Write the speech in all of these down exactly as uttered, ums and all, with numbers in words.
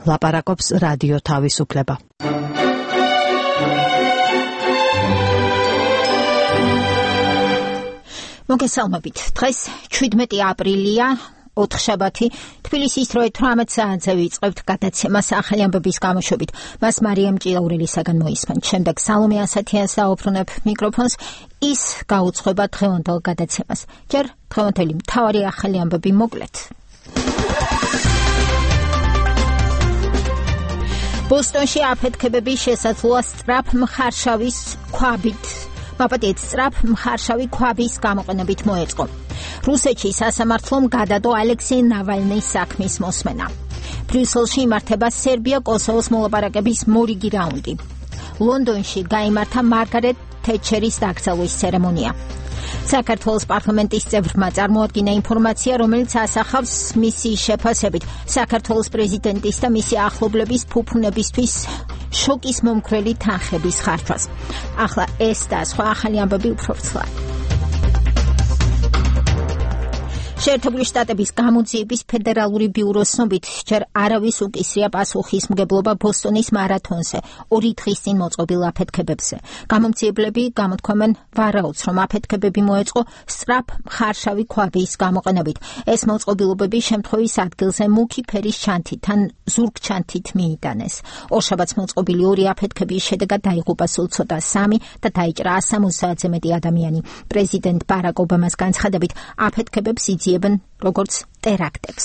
ლაპარაკობს რადიო თავისუფლება. მოგესალმებით. დღეს შვიდმეტი აპრილია, ოთხშაბათი, თბილისის დროით თვრამეტ საათზე ვიწყებთ გადაცემას ახალი ამბების გამოშვებით. მას მარიამ ჭიაურელისაგან მოისმენთ. შემდეგ სალომე ასათიანს დაუბრუნებ მიკროფონს. ის გაუძღვება დღევანდელ გადაცემას. ჯერ დღევანდელი მთავარი ახალი ამბები მოკლედ. ბოსტონში აფეთქებების შესაძლოა სწრაფ მხარშავის ქვაბით მაპატიეთ სწრაფ მხარშავი ქვაბის გამოყენებით მოეწყო. რუსეთში სასამართლომ გადადო ალექსეი ნავალნის საქმის მოსმენა. ბრიუსელში იმართება სერბია-კოსოვოს მოლაპარაკების მორიგი რაუნდი. ლონდონში გაიმართა მარგარეტ თეტჩერის დაკრძალვის ცერემონია. საქართველოს პარლამენტის წევრმა წარმოადგინა ინფორმაცია, რომელიც ასახავს მისი შეფასებით საქართველოს პრეზიდენტის და მისი ახლობლების ფუფუნებისთვის შოკის მომხრელი თანხების ხარჯვას. ახლა ეს და სხვა ახალი ამბები უფრო ვრცლად. შეერთებული შტატების გამოძიების ფედერალური ბიუროს ცნობით, ჯერ არავის უკისრია პასუხისმგებლობა ბოსტონის მარათონზე ორი დღის წინ მოწყობილ აფეთქებებზე. გამომძიებლები გამოთქვამენ ვარაუდს, რომ აფეთქებები მოეწყო სწრაფ მხარშავი ქვაბის გამოყენებით. ეს მოწყობილობები შემთხვევის ადგილზე მუქი ფერის ჩანთით ან ზურგ ჩანთით მიიტანეს. ორშაბათს მოწყობილი ორი აფეთქების შედეგად დაიღუპა სულ ცოტა სამი და დაიჭრა ას სამოცდაათზე მეტი ადამიანი. პრეზიდენტ ბარაკ ობამას განცხადებით, აფეთქებებს იძიებენ როგორც ტერაქტებს.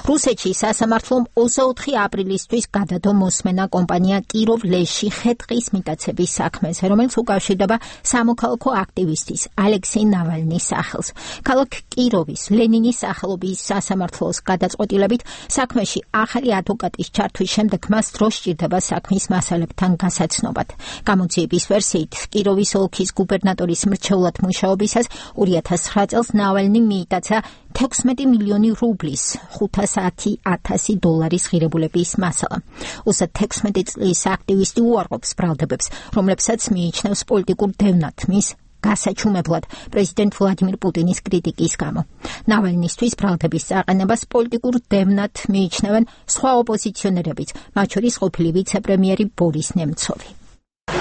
რუსეთში სასამართლომ ოცდაოთხი აპრილისთვის გადადო მოსმენა კომპანია კიროვ-ლეში ხე-ტყის მიტაცების საქმეზე, რომელიც უკავშირდება სამოქალაქო აქტივისტის ალექსეი ნავალნის სახელს. ქალაქ კიროვის ლენინის სახელობის სასამართლოს გადაწყვეტილებით საქმეში ახალი ადვოკატის ჩართვის შემდეგ მას დრო სჭირდება საქმის მასალებთან გასაცნობად. გამოძიების ვერსიით, კიროვის ოლქის გუბერნატორის მრჩევლად მუშაობისას ორი ათას ცხრა წელს ნავალნი მიიტაცა თექვსმეტი მილიონი რუბლის ხუთასი ათასი დოლარის ღირებულების მასალა. უცად თექვსმეტი წლის აქტივისტი უარყოფს ბრალდებებს, რომლებსაც მიიჩნევს პოლიტიკურ დევნად მის გასაჩუმებლად პრეზიდენტ ვლადიმირ პუტინის კრიტიკის გამო. ნავალნისთვის ბრალდების წაყენებას პოლიტიკურ დევნად მიიჩნევენ სხვა ოპოზიციონერებიც, მათ შორის ყოფილი ვიცე-პრემიერი ბორის ნემცოვი.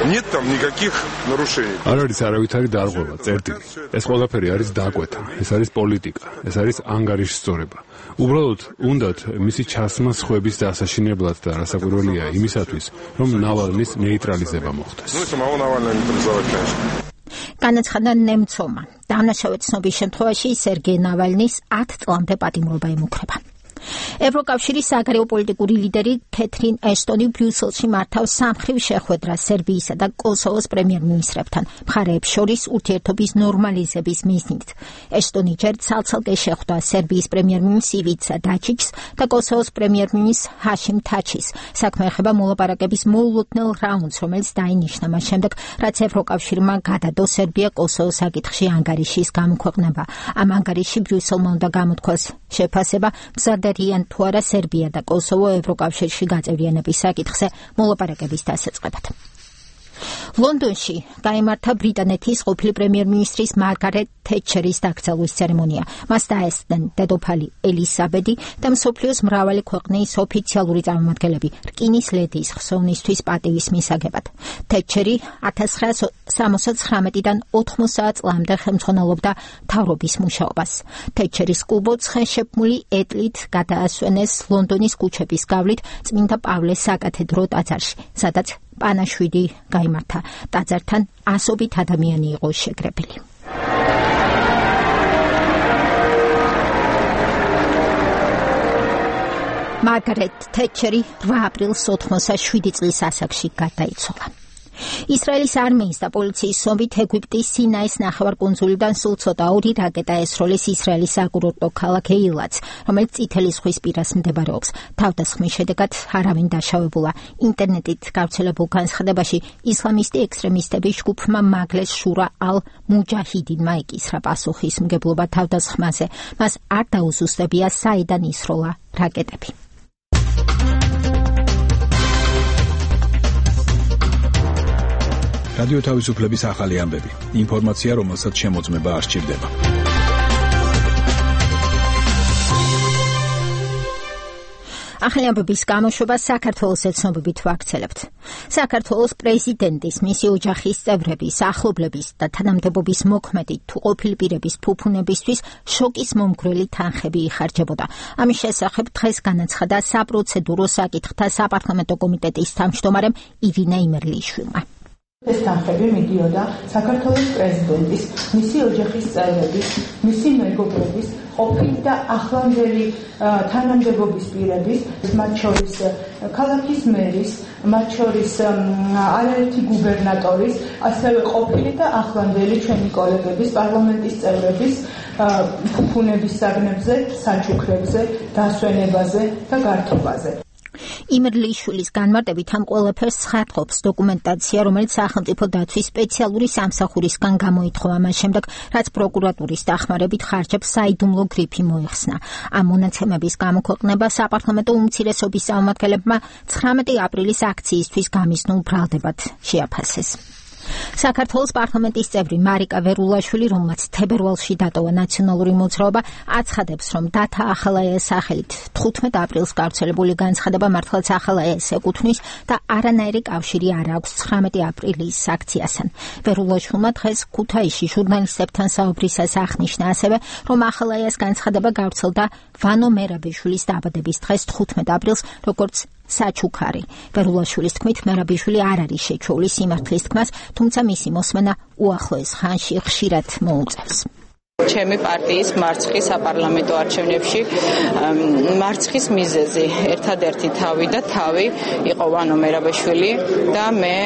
Нет там никаких нарушений. არ არის არავითარი დარღვევა, წერტილი. ეს ყველაფერი არის დაკვეთა, ეს არის პოლიტიკა, ეს არის ანგარიშსწორება. უბრალოდ უნდათ მისი ჩასმა სხვების დასაშინებლად და რასაკვირველია იმისათვის, რომ ნავალნის ნეიტრალიზება მოხდეს. Ну, самого Навального нейтрализовать, конечно. განაცხადა ნემცოვმა. დამნაშავედ ცნობის შემთხვევაში სერგეი ნავალნის ათ წლამდე პატიმრობა ემუქრება. ევროკავშირის საგარეო პოლიტიკური ლიდერი კეთრინ ეშტონი ბრიუსელში მართავს სამხრივ შეხვედრას სერბიისა და კოსოვოს პრემიერ-მინისტრებთან მხარეებს შორის ურთიერთობის ნორმალიზების მიზნით. ეშტონი ჯერ ცალ-ცალკე შეხვდა სერბიის პრემიერ-მინისტრს ივიცა დაჩიჩს და კოსოვოს პრემიერ-მინისტრს ჰაშიმ თაჩის. საქმე ეხება მოლაპარაკების მოულოდნელ რაუნდს, რომელიც დაინიშნა მას შემდეგ, რაც ევროკავშირმა გადადო სერბია-კოსოვოს საკითხში ანგარიშის გამოქვეყნება. ამ ანგარიში ბრიუსელმა უნდა გამოთქვას შეფასება მზადარიან თუ არა სერბია და კოსოვო ევროკავშირში გაწევრიანების საკითხზე მოლაპარაკების დასაწყებად. ლონდონში გაიმართა ბრიტანეთის ყოფილი პრემიერ-მინისტრის მარგარეტ თეტჩერის დაკრძალვის ცერემონია. მას დაესწრნენ დედოფალი ელისაბედი და მსოფლიოს მრავალი ქვეყნის ოფიციალური წარმომადგენლები რკინის ლედის ხსოვნისთვის პატივის მისაგებად. თეტჩერი ათას ცხრაასა სამოცდათხრამეტიდან ოთხმოცდაათ წლამდე ხელმძღვანელობდა მთავრობის მუშაობას. თეტჩერის კუბოცხე შექმული ეტლით გადაასვენეს ლონდონის ქუჩების გავლით წმინდა პავლეს საკათედრო ტაძარში, სადაც პანაშვიდი გაიმართა. ტაძართან ასობით ადამიანი იყო შეკრებილი. მარგარეტ თეტჩერი რვა აპრილს ოთხმოცდაშვიდი წლის ასაკში გარდაიცვალა. ისრაელის არმიის და პოლიციის ცნობით ეგვიპტის სინაის ნახევარკუნძულიდან სულ ცოტა ორი რაკეტა ესროლეს ისრაელის საკურორტო ქალაქ ეილატს, რომელიც წითელი ზღვის პირას მდებარეობს. თავდასხმის შედეგად არავინ დაშავებულა. ინტერნეტით გავრცელებულ განცხადებაში ისლამისტი ექსტრემისტები ჯგუფმა მაგლეს შურა ალ მუჯაჰიდინმა ეკისრა პასუხისმგებლობა თავდასხმაზე. მას არ დაუზუსტებია საიდან ისროლა რაკეტები. რადიო თავისუფლების ახალი ამბები. ინფორმაცია, რომელსაც შემოწმება არ სჭირდება. ახალი ამბების გამოშვება საქართველოს ეთნობებით ვაქცელებთ. საქართველოს პრეზიდენტის, მისი ოჯახის წევრების, ახლობლების და თანამდებობის მოქმედი თუ ყოფილი პირების ფუფუნებისთვის შოკის მომგვრელი თანხები იხარჯებოდა. ამის შესახებ დღეს განაცხადა საპროცედურო საკითხთა საპარლამენტო კომიტეტის თავმჯდომარემ ირინა იმერლიშვილმა. ეს თანხები მიდიოდა საქართველოს პრეზიდენტის, მისი ოჯახის წევრების, მისი მეგობრების, ყოფილი და ახლანდელი თანამდებობის პირების, მათ შორის ქალაქის მერის, მათ შორის არაერთი გუბერნატორის, ასევე ყოფილი და ახლანდელი ჩვენი კოლეგების, პარლამენტის წევრების ფუფუნების საგნებზე, საჩუქრებზე, დასვენებაზე და გართობაზე. იმერლიშვილის განმარტებით ამ ყველაფერს ცხადყოფს დოკუმენტაცია, რომელიც სახელმწიფო დაცვის სპეციალური სამსახურისგან გამოითხოვა მას შემდეგ, რაც პროკურატურის დახმარებით ხარჯებს საიდუმლო გრიფი მოიხსნა. ამ მონაცემების გამოქვეყნება საპარლამენტო უმცირესობის წარმომადგენლებმა ცხრამეტი აპრილის აქციისთვის გამიზნულ ბრალდებად შეაფასეს. საქართველოს პარლამენტის წევრი მარიკა ვერულაშვილი, რომელმაც თებერვალში დატოვა ნაციონალური მოძრაობა, აცხადებს, რომ დათა ახალაიას სახელით თხუთმეტ აპრილს გავრცელებული განცხადება მართლაც ახალაიას ეკუთვნის და არანაირი კავშირი არ აქვს ცხრამეტი აპრილის აქციასთან. ვერულაშვილმა დღეს ქუთაისში ჟურნალისტებთან საუბრისას აღნიშნა ასევე, რომ ახალაიას განცხადება გავრცელდა ვანო მერაბიშვილის დაბადების დღეს თხუთმეტ აპრილს, როგორც საჩუქარი. ვერულაშვილის თქმით, მერაბიშვილი არ არის შეჩეული სიმართლის თქმას, თუმცა მისი მოსმენა უახლოეს ხანში ხშირად მოუწევს. ჩემი პარტიის მარცხი საპარლამენტო არჩევნებში მარცხის მიზეზი ერთადერთი თავი და თავი იყო ვანო მერაბიშვილი და მე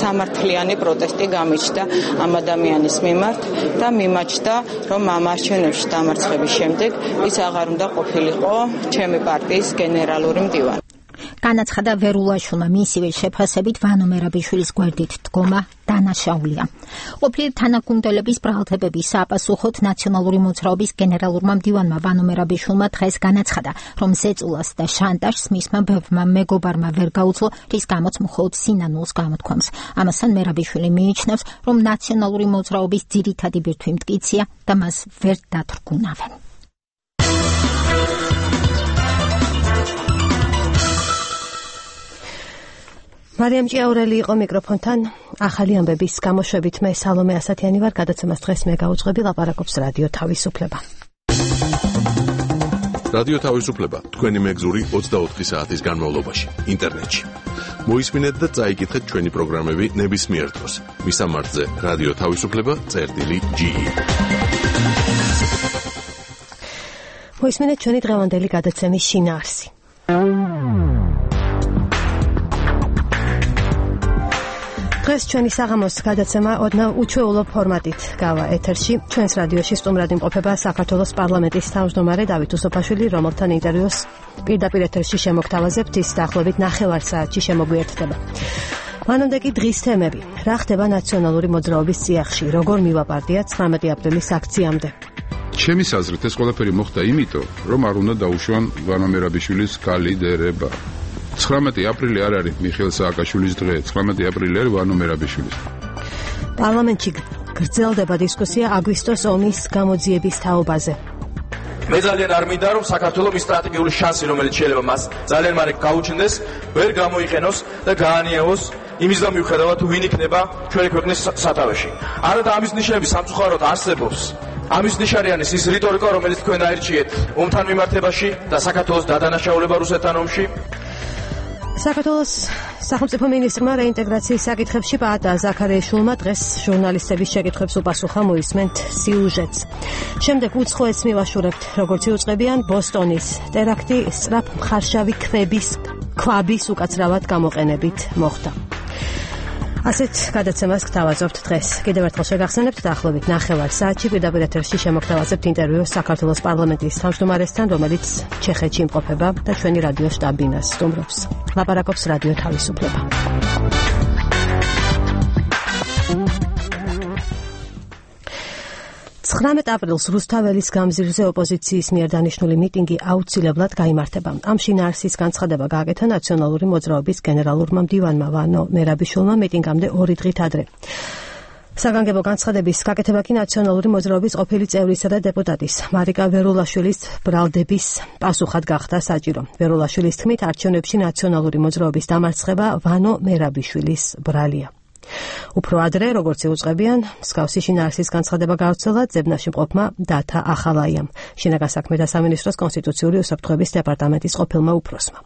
სამართლიანი პროტესტი გამიჩნდა ამ ადამიანის მიმართ და მიმაჩნდა, რომ ამ არჩევნებში დამარცხების შემდეგ ის აღარ უნდა ყოფილიყო ჩემი პარტიის გენერალური მდივანი. განაცხადა ვერულაშვილმა, მისივე შეფასებით ვანო მერაბიშვილის გვერდით დგომა დანაშაულია. ყოფილი თანაგუნდელების ბრალდებების საპასუხოდ ნაციონალური მოძრაობის გენერალურმა მდივანმა ვანო მერაბიშვილმა დღეს განაცხადა, რომ ზეწოლას და შანტაჟს მისმა ბევრმა მეგობარმა ვერ გაუძლო, რის გამოც მხოლოდ სინანულს გამოთქვამს. ამასთან მერაბიშვილი მიიჩნევს, რომ ნაციონალური მოძრაობის ძირითადი ბირთვი მტკიცია და მას ვერ დათრგუნავენ. მარიამ ჭიაურელი იყო მიკროფონთან. ახალი ამბების გამოშვებით მე სალომე ასათიანი ვარ. გადაცემას დღეს მე გაუძღვები, ლაპარაკობს რადიო თავისუფლება. რადიო თავისუფლება თქვენი მეგზური ოცდაოთხი საათის განმავლობაში ინტერნეტში. მოისმინეთ და წაიკითხეთ ჩვენი პროგრამები ნებისმიერ დროს. მისამართზე რადიო თავისუფლება წერტილი ჯი. მოისმინეთ ჩვენი დღევანდელი გადაცემის შინაარსი. დღეს ჩვენი საღამოს გადაცემა ოდნავ უჩვეულო ფორმატით გავა ეთერში. ჩვენს რადიოში სტუმრად იმყოფება საქართველოს პარლამენტის თავმჯდომარე დავით უსოფაშვილი, რომელთან ინტერვიუს პირდაპირ ეთერში შემოგთავაზებთ. ის დაახლოებით ნახევარ საათში შემოგვიერთდება. მანამდე კი დღის თემები. რა ხდება ნაციონალური მოძრაობის წიაღში? როგორ მივა პარტია ცხრამეტი აპრილის აქციამდე? ჩემი აზრით ეს ყველაფერი მოხდა იმიტომ, რომ არ უნდა დაუშვან ვანო მერაბიშვილის კალიდერება. ცხრამეტი აპრილი არ არის მიხეილ სააკაშვილის დღე, ცხრამეტი აპრილი არის ვანო მერაბიშვილის. პარლამენტში გრძელდება დისკუსია აგვისტოს ომის გამოძიების თაობაზე. მე ძალიან არ მინდა, რომ საქართველოს სტრატეგიული შანსი, რომელიც შეიძლება მას ძალიან მალე გაუჩნდეს, ვერ გამოიყენოს და გაანიევოს იმის და მიუხედავად თუ ვინ იქნება ჩვენი ქვეყნის სათავეში. არა და ამის ნიშნები სამწუხაროდ არსებობს. ამის ნიშანიანის ის რიტორიკა, რომელიც თქვენ აირჩიეთ ომთან მიმართებაში და საქართველოს დადანაშაულება რუსეთთან ომში. საქართველოს სახელმწიფო მინისტრმა რეინტეგრაციის საკითხებში პაატა ზაქარიაშვილმა დღეს ჟურნალისტების შეკითხვებს უპასუხა, მოისმენთ სიუჟეტს. შემდეგ უცხოეთს მივაშურებთ, როგორც იუწყებიან ბოსტონის ტერაქტი სწრაფ მხარშავი ქვების ქვაბის უკაცრავად გამოყენებით მოხდა. ასეთ გადაცემას გთავაზობთ დღეს. კიდევ ერთხელ შეგახსენებთ, დაახლოებით ნახევარ საათში პირდაპირ ეთერში შემოგთავაზებთ ინტერვიუს საქართველოს პარლამენტის თავმჯდომარესთან, რომელიც ჩეხეთში იმყოფება და ჩვენი რადიო შტაბ-ბინას სტუმრობს. ლაპარაკობს რადიო თავისუფლება. ცხრამეტ აპრილს რუსთაველის გამზირზე ოპოზიციის მიერ დანიშნული მიტინგი აუცილებლად გაიმართება. ამ შინაარსის განცხადება გააკეთა ნაციონალური მოძრაობის გენერალურმა მდივანმა ვანო მერაბიშვილმა მიტინგამდე ორი დღით ადრე. საგანგებო განცხადების გაკეთება კი ნაციონალური მოძრაობის ყოფილი წევრისა და დეპუტატის მარიკა ვერულაშვილის ბრალდების პასუხად გახდა საჭირო. ვერულაშვილის თქმით, არჩევნებში ნაციონალური მოძრაობის დამარცხება ვანო მერაბიშვილის ბრალია. უფრო ადრე, როგორც იუწყებიან, მსგავსი შინაარსის განცხადება გავრცელა ძებნაში მყოფმა დათა ახალაიამ, შინაგან საქმეთა სამინისტროს კონსტიტუციური უსაფრთხოების დეპარტამენტის ყოფილმა უფროსმა.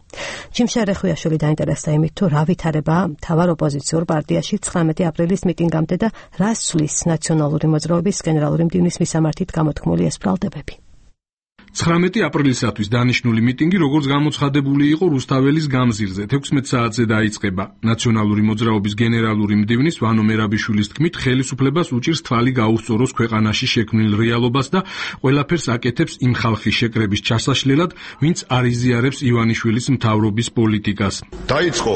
ჯიმშა რეხვიაშვილი დაინტერესდა იმით, თუ რა ვითარებაა მთავარ ოპოზიციურ პარტიაში ცხრამეტი აპრილის მიტინგამდე და რას ცვლის ნაციონალური მოძრაობის გენერალური მდივნის მისამართით გამოთქმული ეს ბრალდებები. ცხრამეტი აპრილისათვის დანიშნული მიტინგი, როგორც გამოცხადებული იყო რუსთაველის გამზირზე, თექვსმეტ საათზე დაიწყება. ნაციონალური მოძრაობის გენერალური მდივნის ვანო მერაბიშვილის თქმით, ხელისუფლებას უჭირს თვალი გაუსწოროს ქვეყანაში შექმნილ რეალობას და ყველაფერს აკეთებს იმ ხალხის შეკრების ჩასაშლელად, ვინც არ იზიარებს ივანიშვილის მთავრობის პოლიტიკას. დაიწყო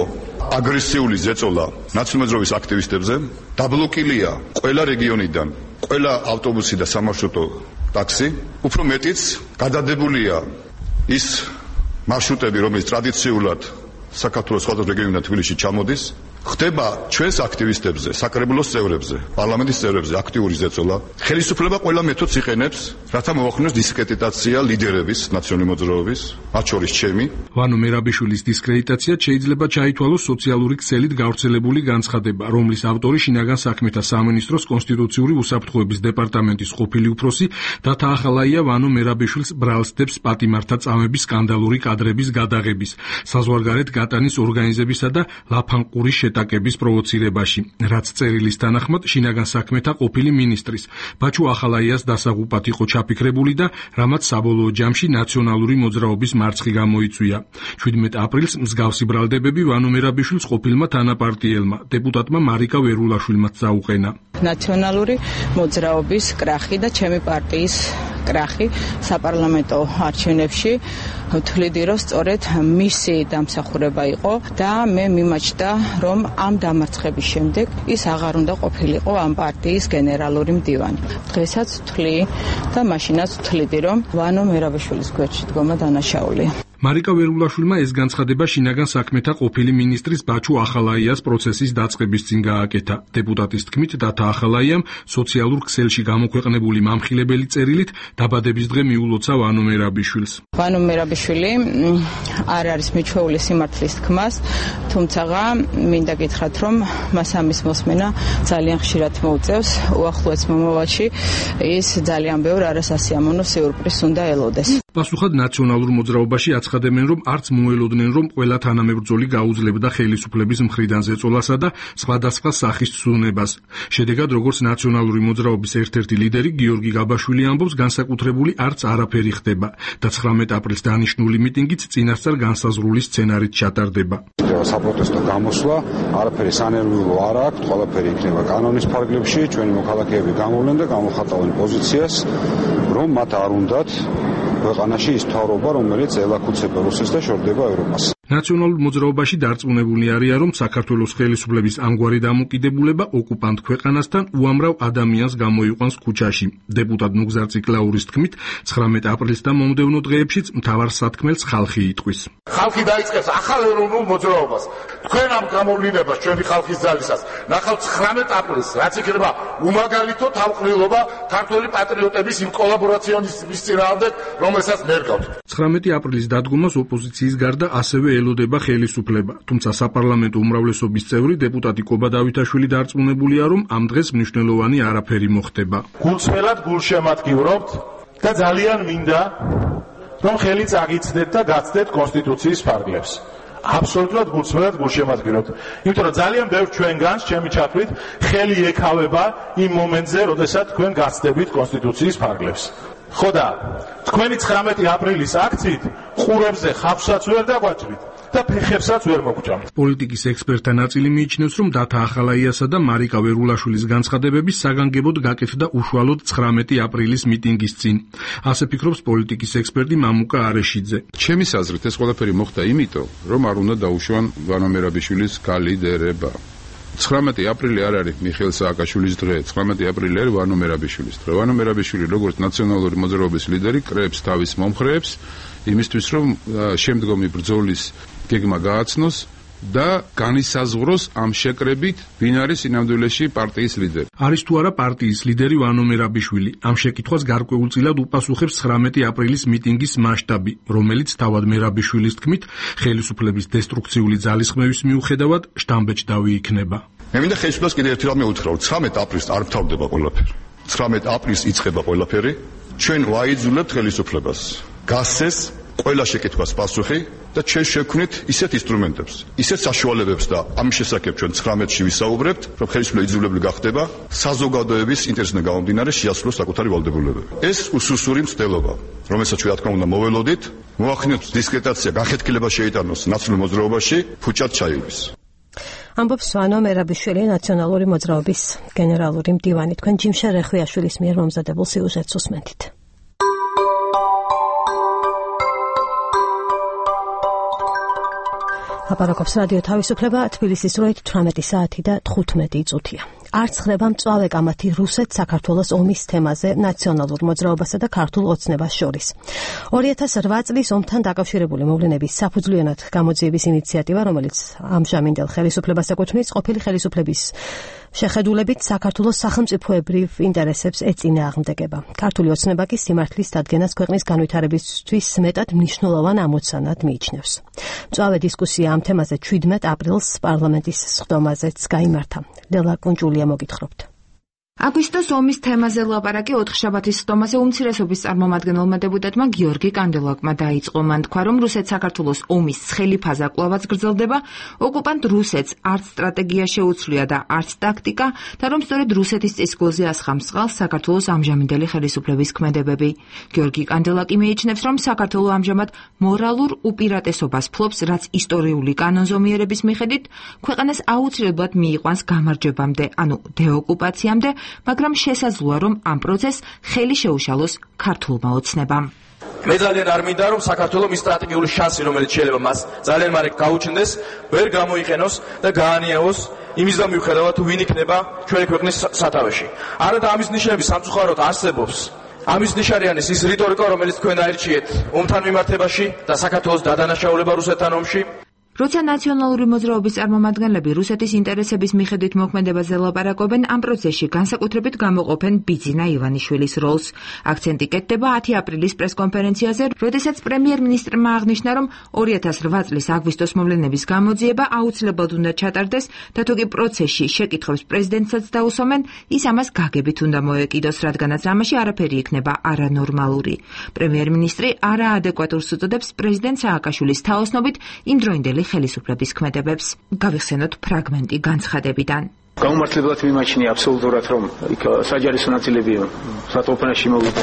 აგრესიული ზეწოლა ნაციონალური მოძრაობის აქტივისტებზე, დაბლოკილია ყველა რეგიონიდან, ყველა ავტობუსი და სამარშრუტო ტაქსი, უფრო მეტიც გადადებულია ის მარშრუტები, რომელიც ტრადიციულად საქართველოს სხვადასხვა რეგიონიდან თბილისში ჩამოდის, ხდება ჩვენს აქტივისტებზე, საკრებულოს წევრებზე, პარლამენტის წევრებზე აქტიური ზეწოლა. ხელისუფლება ყველა მეთოდს იყენებს, რათა მოახდინოს დისკრედიტაცია ლიდერების, ნაციონალური მოძრაობის, მათ შორის ჩემი. ვანო მერაბიშვილის დისკრედიტაცია შეიძლება ჩაითვალოს სოციალური ქსელით გავრცელებული განცხადება, რომლის ავტორი შინაგან საქმეთა სამინისტროს კონსტიტუციური უსაფრთხოების დეპარტამენტის ყოფილი უფროსი დათა ახალაია ვანო მერაბიშვილს ბრალსდებს პატიმართა წამების სკანდალური კადრების გადაღების, საზღვარგარეთ გატანის ორგანიზებისა და ლაფანყურის შეტაკების პროვოცირებაში, რაც წერილის თანახმად შინაგან საქმეთა ყოფილი მინისტრის ბაჩუ ახალაიას დასაღუპად იყო ჩაფიქრებული და რამაც საბოლოო ჯამში ნაციონალური მოძრაობის მარცხი გამოიწვია. შვიდმეტ აპრილს მსგავსი ბრალდებები ვანო მერაბიშვილს ყოფილმა თანაპარტიელმა დეპუტატმა მარიკა ვერულაშვილმაც წაუყენა. ნაციონალური მოძრაობის კრახი და ჩემი პარტიის კრახი საპარლამენტო არჩევნებში ვთვლიდი, რომ სწორედ მისი დამსახურება იყო და მე მიმაჩნდა, რომ ამ დამარცხების შემდეგ ის აღარ უნდა ყოფილიყო ამ პარტიის გენერალური მდივანი. დღესაც ვთვლი და მაშინაც ვთვლიდი, რომ ვანო მერაბიშვილის გვერდში დგომა დანაშაულია. მარიკა ვერულაშვილმა ეს განცხადება შინაგან საქმეთა ყოფილი მინისტრის ბაჩუ ახალაიას პროცესის დაწყების წინ გააკეთა. დეპუტატის თქმით, დათა ახალაიამ სოციალურ ქსელში გამოქვეყნებული მამხილებელი წერილით დაბადების დღე მიულოცა ვანო მერაბიშვილს. ვანო მერაბიშვილი არ არის მიჩვეული სიმართლის თქმას, თუმცა მინდა გითხრათ, რომ მას ამის მოსმენა ძალიან ხშირად მოუწევს. უახლოეს მომავალში ის ძალიან ბევრ არასასიამოვნო სიურპრიზს უნდა ელოდეს. პასუხად ნაციონალურ მოძრაობაში აცხადებენ, რომ არც მოელოდნენ, რომ ყველა თანამებრძოლი გაუძლებდა ხელისუფლების მხრიდან ზეწოლასა და სხვადასხვა სახის ცდუნებას. შედეგად, როგორც ნაციონალური მოძრაობის ერთ-ერთი ლიდერი გიორგი გაბაშვილი ამბობს, განსაკუთრებული არც არაფერი ხდება და ცხრამეტ აპრილს დანიშნული მიტინგიც წინასწარ განსაზღვრული სცენარით ჩატარდება. საპროტესტო გამოსვლა არაფერი სანერვიულო არ აქვს, ყველაფერი იქნება კანონის ფარგლებში, ჩვენი მოქალაქეები გამოვლენ და გამოხატავენ პოზიციას, რომ მათ არ უნდათ ქვეყანაში ის მთავრობა, რომელიც ელაქუცება რუსეთს და შორდება ევროპას. ნაციონალურ მოძრაობაში დარწმუნებული არიან, რომ საქართველოს ხელისუფლების ამგვარი დამოკიდებულება ოკუპანტ ქვეყანასთან უამრავ ადამიანს გამოიყვანს ქუჩაში. დეპუტატ ნუგზარ ციკლაურის თქმით, ცხრამეტ აპრილს და მომდევნო დღეებშიც მთავარ სათქმელს ხალხი იტყვის. ხალხი დაიწყებს ახალ ეროვნულ მოძრაობას. თქვენ ამ გამოვლინებას ჩვენი ხალხის ძალისას ნახავთ ცხრამეტ აპრილს, რაც იქნება უმაგალითო თავყრილობა ქართველი პატრიოტების იმ კოლაბორაციონის წინააღმდეგ, რომელსაც მერგავთ. ცხრამეტი აპრილის დადგომას ოპოზიციის გარდა ასევე ელოდება ხელისუფლება, თუმცა საპარლამენტო უმრავლესობის წევრი დეპუტატი კობა დავითაშვილი დარწმუნებულია, რომ ამ დღეს მნიშვნელოვანი არაფერი მოხდება. გულწრფელად გულშემატკივრობთ და ძალიან მინდა, რომ ხელი წაგიცდეთ და გაცდეთ კონსტიტუციის ფარგლებს. აბსოლუტურად გულწრფელად გულშემატკივრობთ. იმიტომ რომ ძალიან ბევრ ჩვენგანს, ჩემი ჩათვლით, ხელი ეკავება იმ მომენტზე, როდესაც თქვენ გაცდებით კონსტიტუციის ფარგლებს. ხო და თქვენი ცხრამეტი აპრილის აქციით ყურებზე ხავსაც ვერ დაგვაჭრით და ფეხებსაც ვერ მოგჭამთ. პოლიტიკის ექსპერტთა ნაწილი მიიჩნევს, რომ დათა ახალაიასა და მარიკა ვერულაშვილის განცხადებები საგანგებოდ გაკეთდა უშუალოდ ცხრამეტი აპრილის მიტინგის წინ. ასე ფიქრობს პოლიტიკის ექსპერტი მამუკა არეშიძე. ჩემი აზრით ეს ყველაფერი მოხდა იმიტომ, რომ არ უნდა დაუშვან ვანო მერაბიშვილის კალიდერება. ცხრამეტი აპრილი არ არის მიხეილ სააკაშვილის დღე, ცხრამეტი აპრილი არის ვანო მერაბიშვილის დღე. ვანო მერაბიშვილი როგორც ნაციონალური მოძრაობის ლიდერი კრებს თავის მომხრეებს იმისთვის, რომ შემდგომი ბრძოლის გეგმა გააცნოს და განისაზღვროს ამ შეკრებით ვინ არის სინამდვილეში პარტიის ლიდერი. არის თუ არა პარტიის ლიდერი ვანო მერაბიშვილი? ამ შეკითხვას გარკვეულწილად უპასუხებს ცხრამეტი აპრილის მიტინგის მასშტაბი, რომელიც თავად მერაბიშვილის თქმით, ხელისუფლების დესტრუქციული ძალისხმევის მიუხედავად შთამბეჭდავი იქნება. მე მინდა ხელისუფლებას კიდევ ერთი რამე უთხრა, რომ ცხრამეტ აპრილს არ მთავრდება ყველაფერი. ცხრამეტ აპრილს იწყება ყველაფერი. ჩვენ ვაიძულებთ ხელისუფლებას გასცეს ყველა შეკითხვას პასუხი და ჩვენ შევქმნით ისეთ ინსტრუმენტებს, ისეთ საშუალებებს და ამის შესახებ ჩვენ ცხრამეტში ვისაუბრებთ, რომ ხელისუფლება იძულებული გახდება საზოგადოების ინტერესიდან გამომდინარე შეასრულოს საკუთარი ვალდებულებები. ეს უსუსური მცდელობა, რომელსაც ჩვენ რა თქმა უნდა მოველოდით, მოახდინოთ დისკრეტაცია, განხეთქილება შეიტანოს ნაცნობ მოძრაობაში, ფუჭად ჩაივლის. ამბობს ვანო მერაბიშვილი, ნაციონალური მოძრაობის გენერალური მდივანი. თქვენ ჯიმშა რეხვიაშვილის მიერ მომზადებულ სიუჟეტს უსმენთ. აპარაკობს რადიო თავისუფლება, თბილისის დროით თვრამეტი საათი და თხუთმეტი წუთია. არც ხდება მწვავე კამათი რუსეთ-საქართველოს ომის თემაზე ნაციონალურ მოძრაობასა და ქართულ ოცნებას შორის. ორი ათას რვა წლის ომთან დაკავშირებული მოვლენების საფუძვლიანად გამოძიების ინიციატივა, რომელიც ამჟამინდელ ხელისუფლებას ეკუთვნის, ყოფილი ხელისუფლების შეხედულებით საქართველოს სახელმწიფოებრივ ინტერესებს ეწინააღმდეგება. ქართული ოცნება კი სიმართლის დადგენას ქვეყნის განვითარებისთვის მეტად მნიშვნელოვან ამოცანად მიიჩნევს. მწვავე დისკუსია ამ თემაზე შვიდმეტ აპრილს პარლამენტის სხდომაზეც გაიმართა. ლელა კუნჭულია მოგითხრობთ. აგვისტოს ომის თემაზე ლაპარაკი ოთხშაბათის სხდომაზე უმცირესობის წარმომადგენელმა დეპუტატმა გიორგი კანდელაკმა დაიწყო. მან თქვა, რომ რუსეთ-საქართველოს ომის ცხელი ფაზა კვლავაც გრძელდება, ოკუპანტ რუსეთს არც სტრატეგია შეუცვლია და არც ტაქტიკა და რომ სწორედ რუსეთის წისქვილზე ასხამს წყალს საქართველოს ამჟამინდელი ხელისუფლების ქმედებები. გიორგი კანდელაკი მიიჩნევს, რომ საქართველო ამჟამად მორალურ უპირატესობას ფლობს, რაც ისტორიული კანონზომიერების მიხედვით ქვეყანას აუცილებლად მიიყვანს გამარჯვებამდე, ანუ დეოკუპაციამდე, მაგრამ შესაძლოა, რომ ამ პროცესს ხელი შეუშალოს ქართულმა ოცნებამ. მე ძალიან არ მინდა, რომ საქართველოს ის სტრატეგიული შანსი, რომელიც შეიძლება მას ძალიან მალე გაუჩნდეს, ვერ გამოიყენოს და გაანიავოს იმის და მიუხედავად თუ ვინ იქნება ჩვენი ქვეყნის სათავეში. არა და ამის ნიშნები სამწუხაროდ არსებობს. ამის ნიშანი არის ის რიტორიკა, რომელიც თქვენ აირჩიეთ ომთან მიმართებაში და საქართველოს დადანაშაულება რუსეთთან ომში. როცა ნაციონალური მოძრაობის წარმომადგენლები რუსეთის ინტერესების მიხედვით მოქმედებაზე ლაპარაკობენ, ამ პროცესში განსაკუთრებით გამოყოფენ ბიძინა ივანიშვილის როლს. აქცენტი კეთდება ათი აპრილის პრესკონფერენციაზე, როდესაც პრემიერ-მინისტრმა აღნიშნა, რომ ორი ათას რვა წლის აგვისტოს მოვლენების გამოძიება აუცილებლად უნდა ჩატარდეს და თუ კი პროცესში შეკითხვებს პრეზიდენტსაც დაუსვამენ, ის ამას გაგებით უნდა მოეკიდოს, რადგანაც ამაში არაფერი იქნება არანორმალური. პრემიერ-მინისტრი არაადეკვატურს უწოდებს პრეზიდენტ სააკაშვილის თაოსნობით იმდროინდელი ხელისუფლების ქმედებებს. გავიხსენოთ ფრაგმენტი განცხადებიდან. გაუმართლებლად მიმაჩნია აბსოლუტურად, რომ იქ საჯარისო ნაწილები სათოფენაში მოვიდა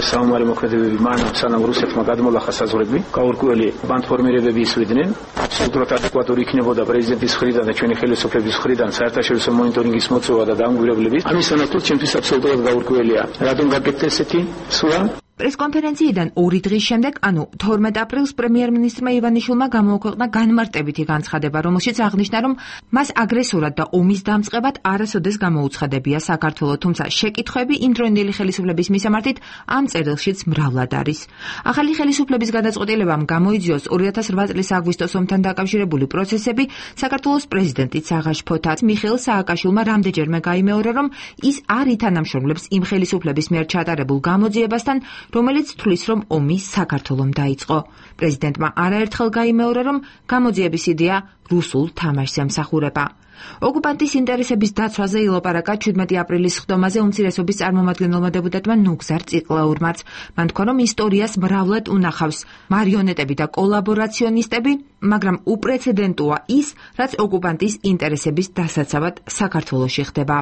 საომარი მოქმედებები მან სანამ რუსეთმა გადმოლახა საზღვრები, გაურკვეველი ბანდფორმირებები ისვიდნენ, აბსოლუტურად ადეკვატური იქნებოდა პრეზიდენტის მხრიდან და ჩვენი ხელისუფლების მხრიდან საერთაშორისო მონიტორინგის მოწვევა და დაანგრევლების. ამის სანაცვლოდ ჩემთვის აბსოლუტურად გაურკვეველია, რატომ გაკეთდა ესეთი სურა. პრესკონფერენციიდან ორი დღის შემდეგ, ანუ თორმეტ აპრილს პრემიერ-მინისტრმა ივანიშვილმა გამოუქვეყნა განმარტებითი განცხადება, რომელშიც აღნიშნა, რომ მას აგრესორად და ომის დამწყებად არასოდეს გამოუცხადებია საქართველო, თუმცა შეკითხვები იმდროინდელი ხელისუფლების მისამართით ამ წერილშიც მრავლად არის. ახალი ხელისუფლების გადაწყვეტილებამ გამოიძიოს ორი ათას რვა წლის აგვისტოს ომთან დაკავშირებული პროცესები საქართველოს პრეზიდენტით საღაშ ფოთაც მიხეილ სააკაშვილმა რამდენჯერმე გაიმეორა, რომ ის არ ითანამშრომლებს იმ ხელისუფლების მიერ ჩატარებულ გამოძიებასთან, რომელიც თვლის, რომ ომი საქართველომ დაიწყო. პრეზიდენტმა არაერთხელ გაიმეორა, რომ გამოძიების იდეა რუსულ თამაშს ემსახურება. ოკუპანტის ინტერესების დაცვაზე ილაპარაკა შვიდმეტი აპრილის სხდომაზე უმცირესობის წარმომადგენელმა დეპუტატმა ნუგზარ ციკლაურმაც. მან თქვა, რომ ისტორიას მრავლად უნახავს მარიონეტები და კოლაბორაციონისტები, მაგრამ უპრეცედენტოა ის, რაც ოკუპანტის ინტერესების დასაცავად საქართველოში ხდება.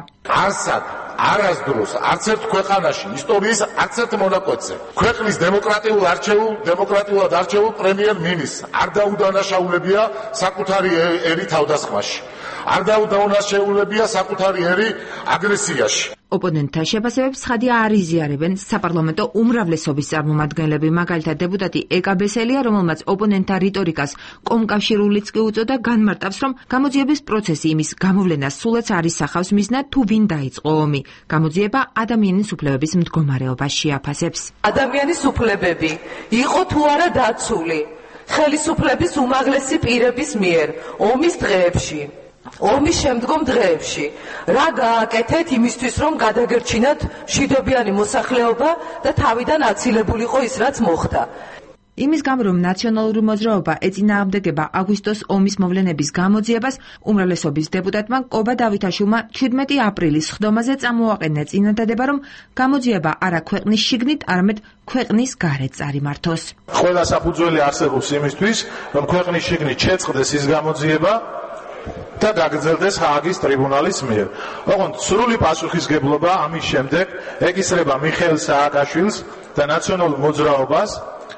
არსად არასდროს არც ერთ ქვეყანაში ისტორიის არც ერთ მონაკვეთზე ქვეყნის დემოკრატიულ არჩეულ დემოკრატიულად არჩეულ პრემიერ-მინისტრს არ დაუდანაშაულებია საკუთარი ერი თავდასხმაში. არ დაუდანაშაულებია საკუთარი ერი აგრესიაში. ოპონენტთა შეფასებებს ცხადია არ იზიარებენ საპარლამენტო უმრავლესობის წარმომადგენლები, მაგალითად დეპუტატი ეკა ბესელია, რომელმაც ოპონენტთა რიტორიკას კომკავშირულიც კი უწოდა, განმარტავს, რომ გამოძიების პროცესი იმის გამოვლენას სულაც არ ისახავს მიზნად, თუ ვინ დაიწყო ომი. გამოძიება ადამიანის უფლებების მდგომარეობას შეაფასებს. ადამიანის უფლებები იყო თუ არა დაცული. ხელისუფლების უმაღლესი პირების მიერ ომის დღეებში, ომის შემდგომ დღეებში რა გააკეთეთ იმისთვის, რომ გადაგერჩინათ მშვიდობიანი მოსახლეობა და თავიდან აცილებულიყო ის, რაც მოხდა. იმის გამო, რომ ნაციონალური მოძრაობა ეწინააღმდეგება აგვისტოს ომის მოვლენების გამოძიებას, უმრავლესობის დეპუტატმა კობა დავითაშვილმა ჩვიდმეტი აპრილის სხდომაზე წამოაყენა წინადადება, რომ გამოძიება არა ქვეყნის შიგნით, არამედ ქვეყნის გარეთ წარიმართოს. ყველა საფუძველი არსებობს იმისთვის, რომ ქვეყნის შიგნით შეწყდეს ის გამოძიება და გაგრძელდეს ჰააგის ტრიბუნალის მიერ. ოღონდ სრული პასუხისგებლობა ამის შემდეგ ეკისრება მიხეილ სააკაშვილს და ნაციონალურ მოძრაობას,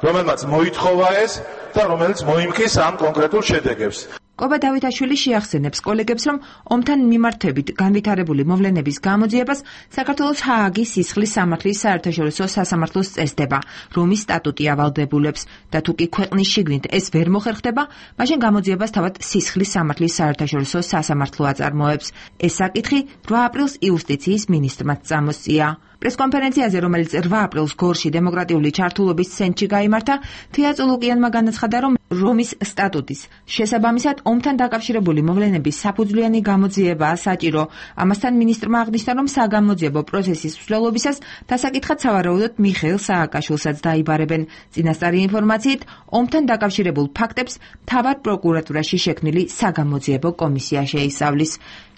რომელმაც მოითხოვა ეს და რომელიც მოიმკის ამ კონკრეტულ შედეგებს. კობა დავითაშვილი შეახსენებს კოლეგებს, რომ ომთან მიმართებით განვითარებული მოვლენების გამოძიებას საქართველოს ჰააგის სისხლის სამართლის საერთაშორისო სასამართლოს წესდება, რომის სტატუტი ავალდებულებს და თუ კი ქვეყნის შიგნით ეს ვერ მოხერხდება, მაშინ გამოძიებას თავად სისხლის სამართლის საერთაშორისო სასამართლო აწარმოებს. ეს საკითხი რვა აპრილს იუსტიციის მინისტრმა წამოსწია. პრესკონფერენციაზე, რომელიც რვა აპრილს გორში დემოკრატიული ჩართულობის ცენტრში გაიმართა, თეა წულუკიანმა განაცხადა, რომ რომის სტატუტის შესაბამისად ომთან დაკავშირებული მოვლენების საფუძვლიანი გამოძიებაა საჭირო. ამასთან მინისტრმა აღნიშნა, რომ საგამოძიებო პროცესის მსვლელობისას დასაკითხად სავარაუდოდ მიხეილ სააკაშვილსაც დაიბარებენ. წინასწარი ინფორმაციით, ომთან დაკავშირებულ ფაქტებს მთავარ პროკურატურაში შექმნილი საგამოძიებო კომისია შეისწავლის.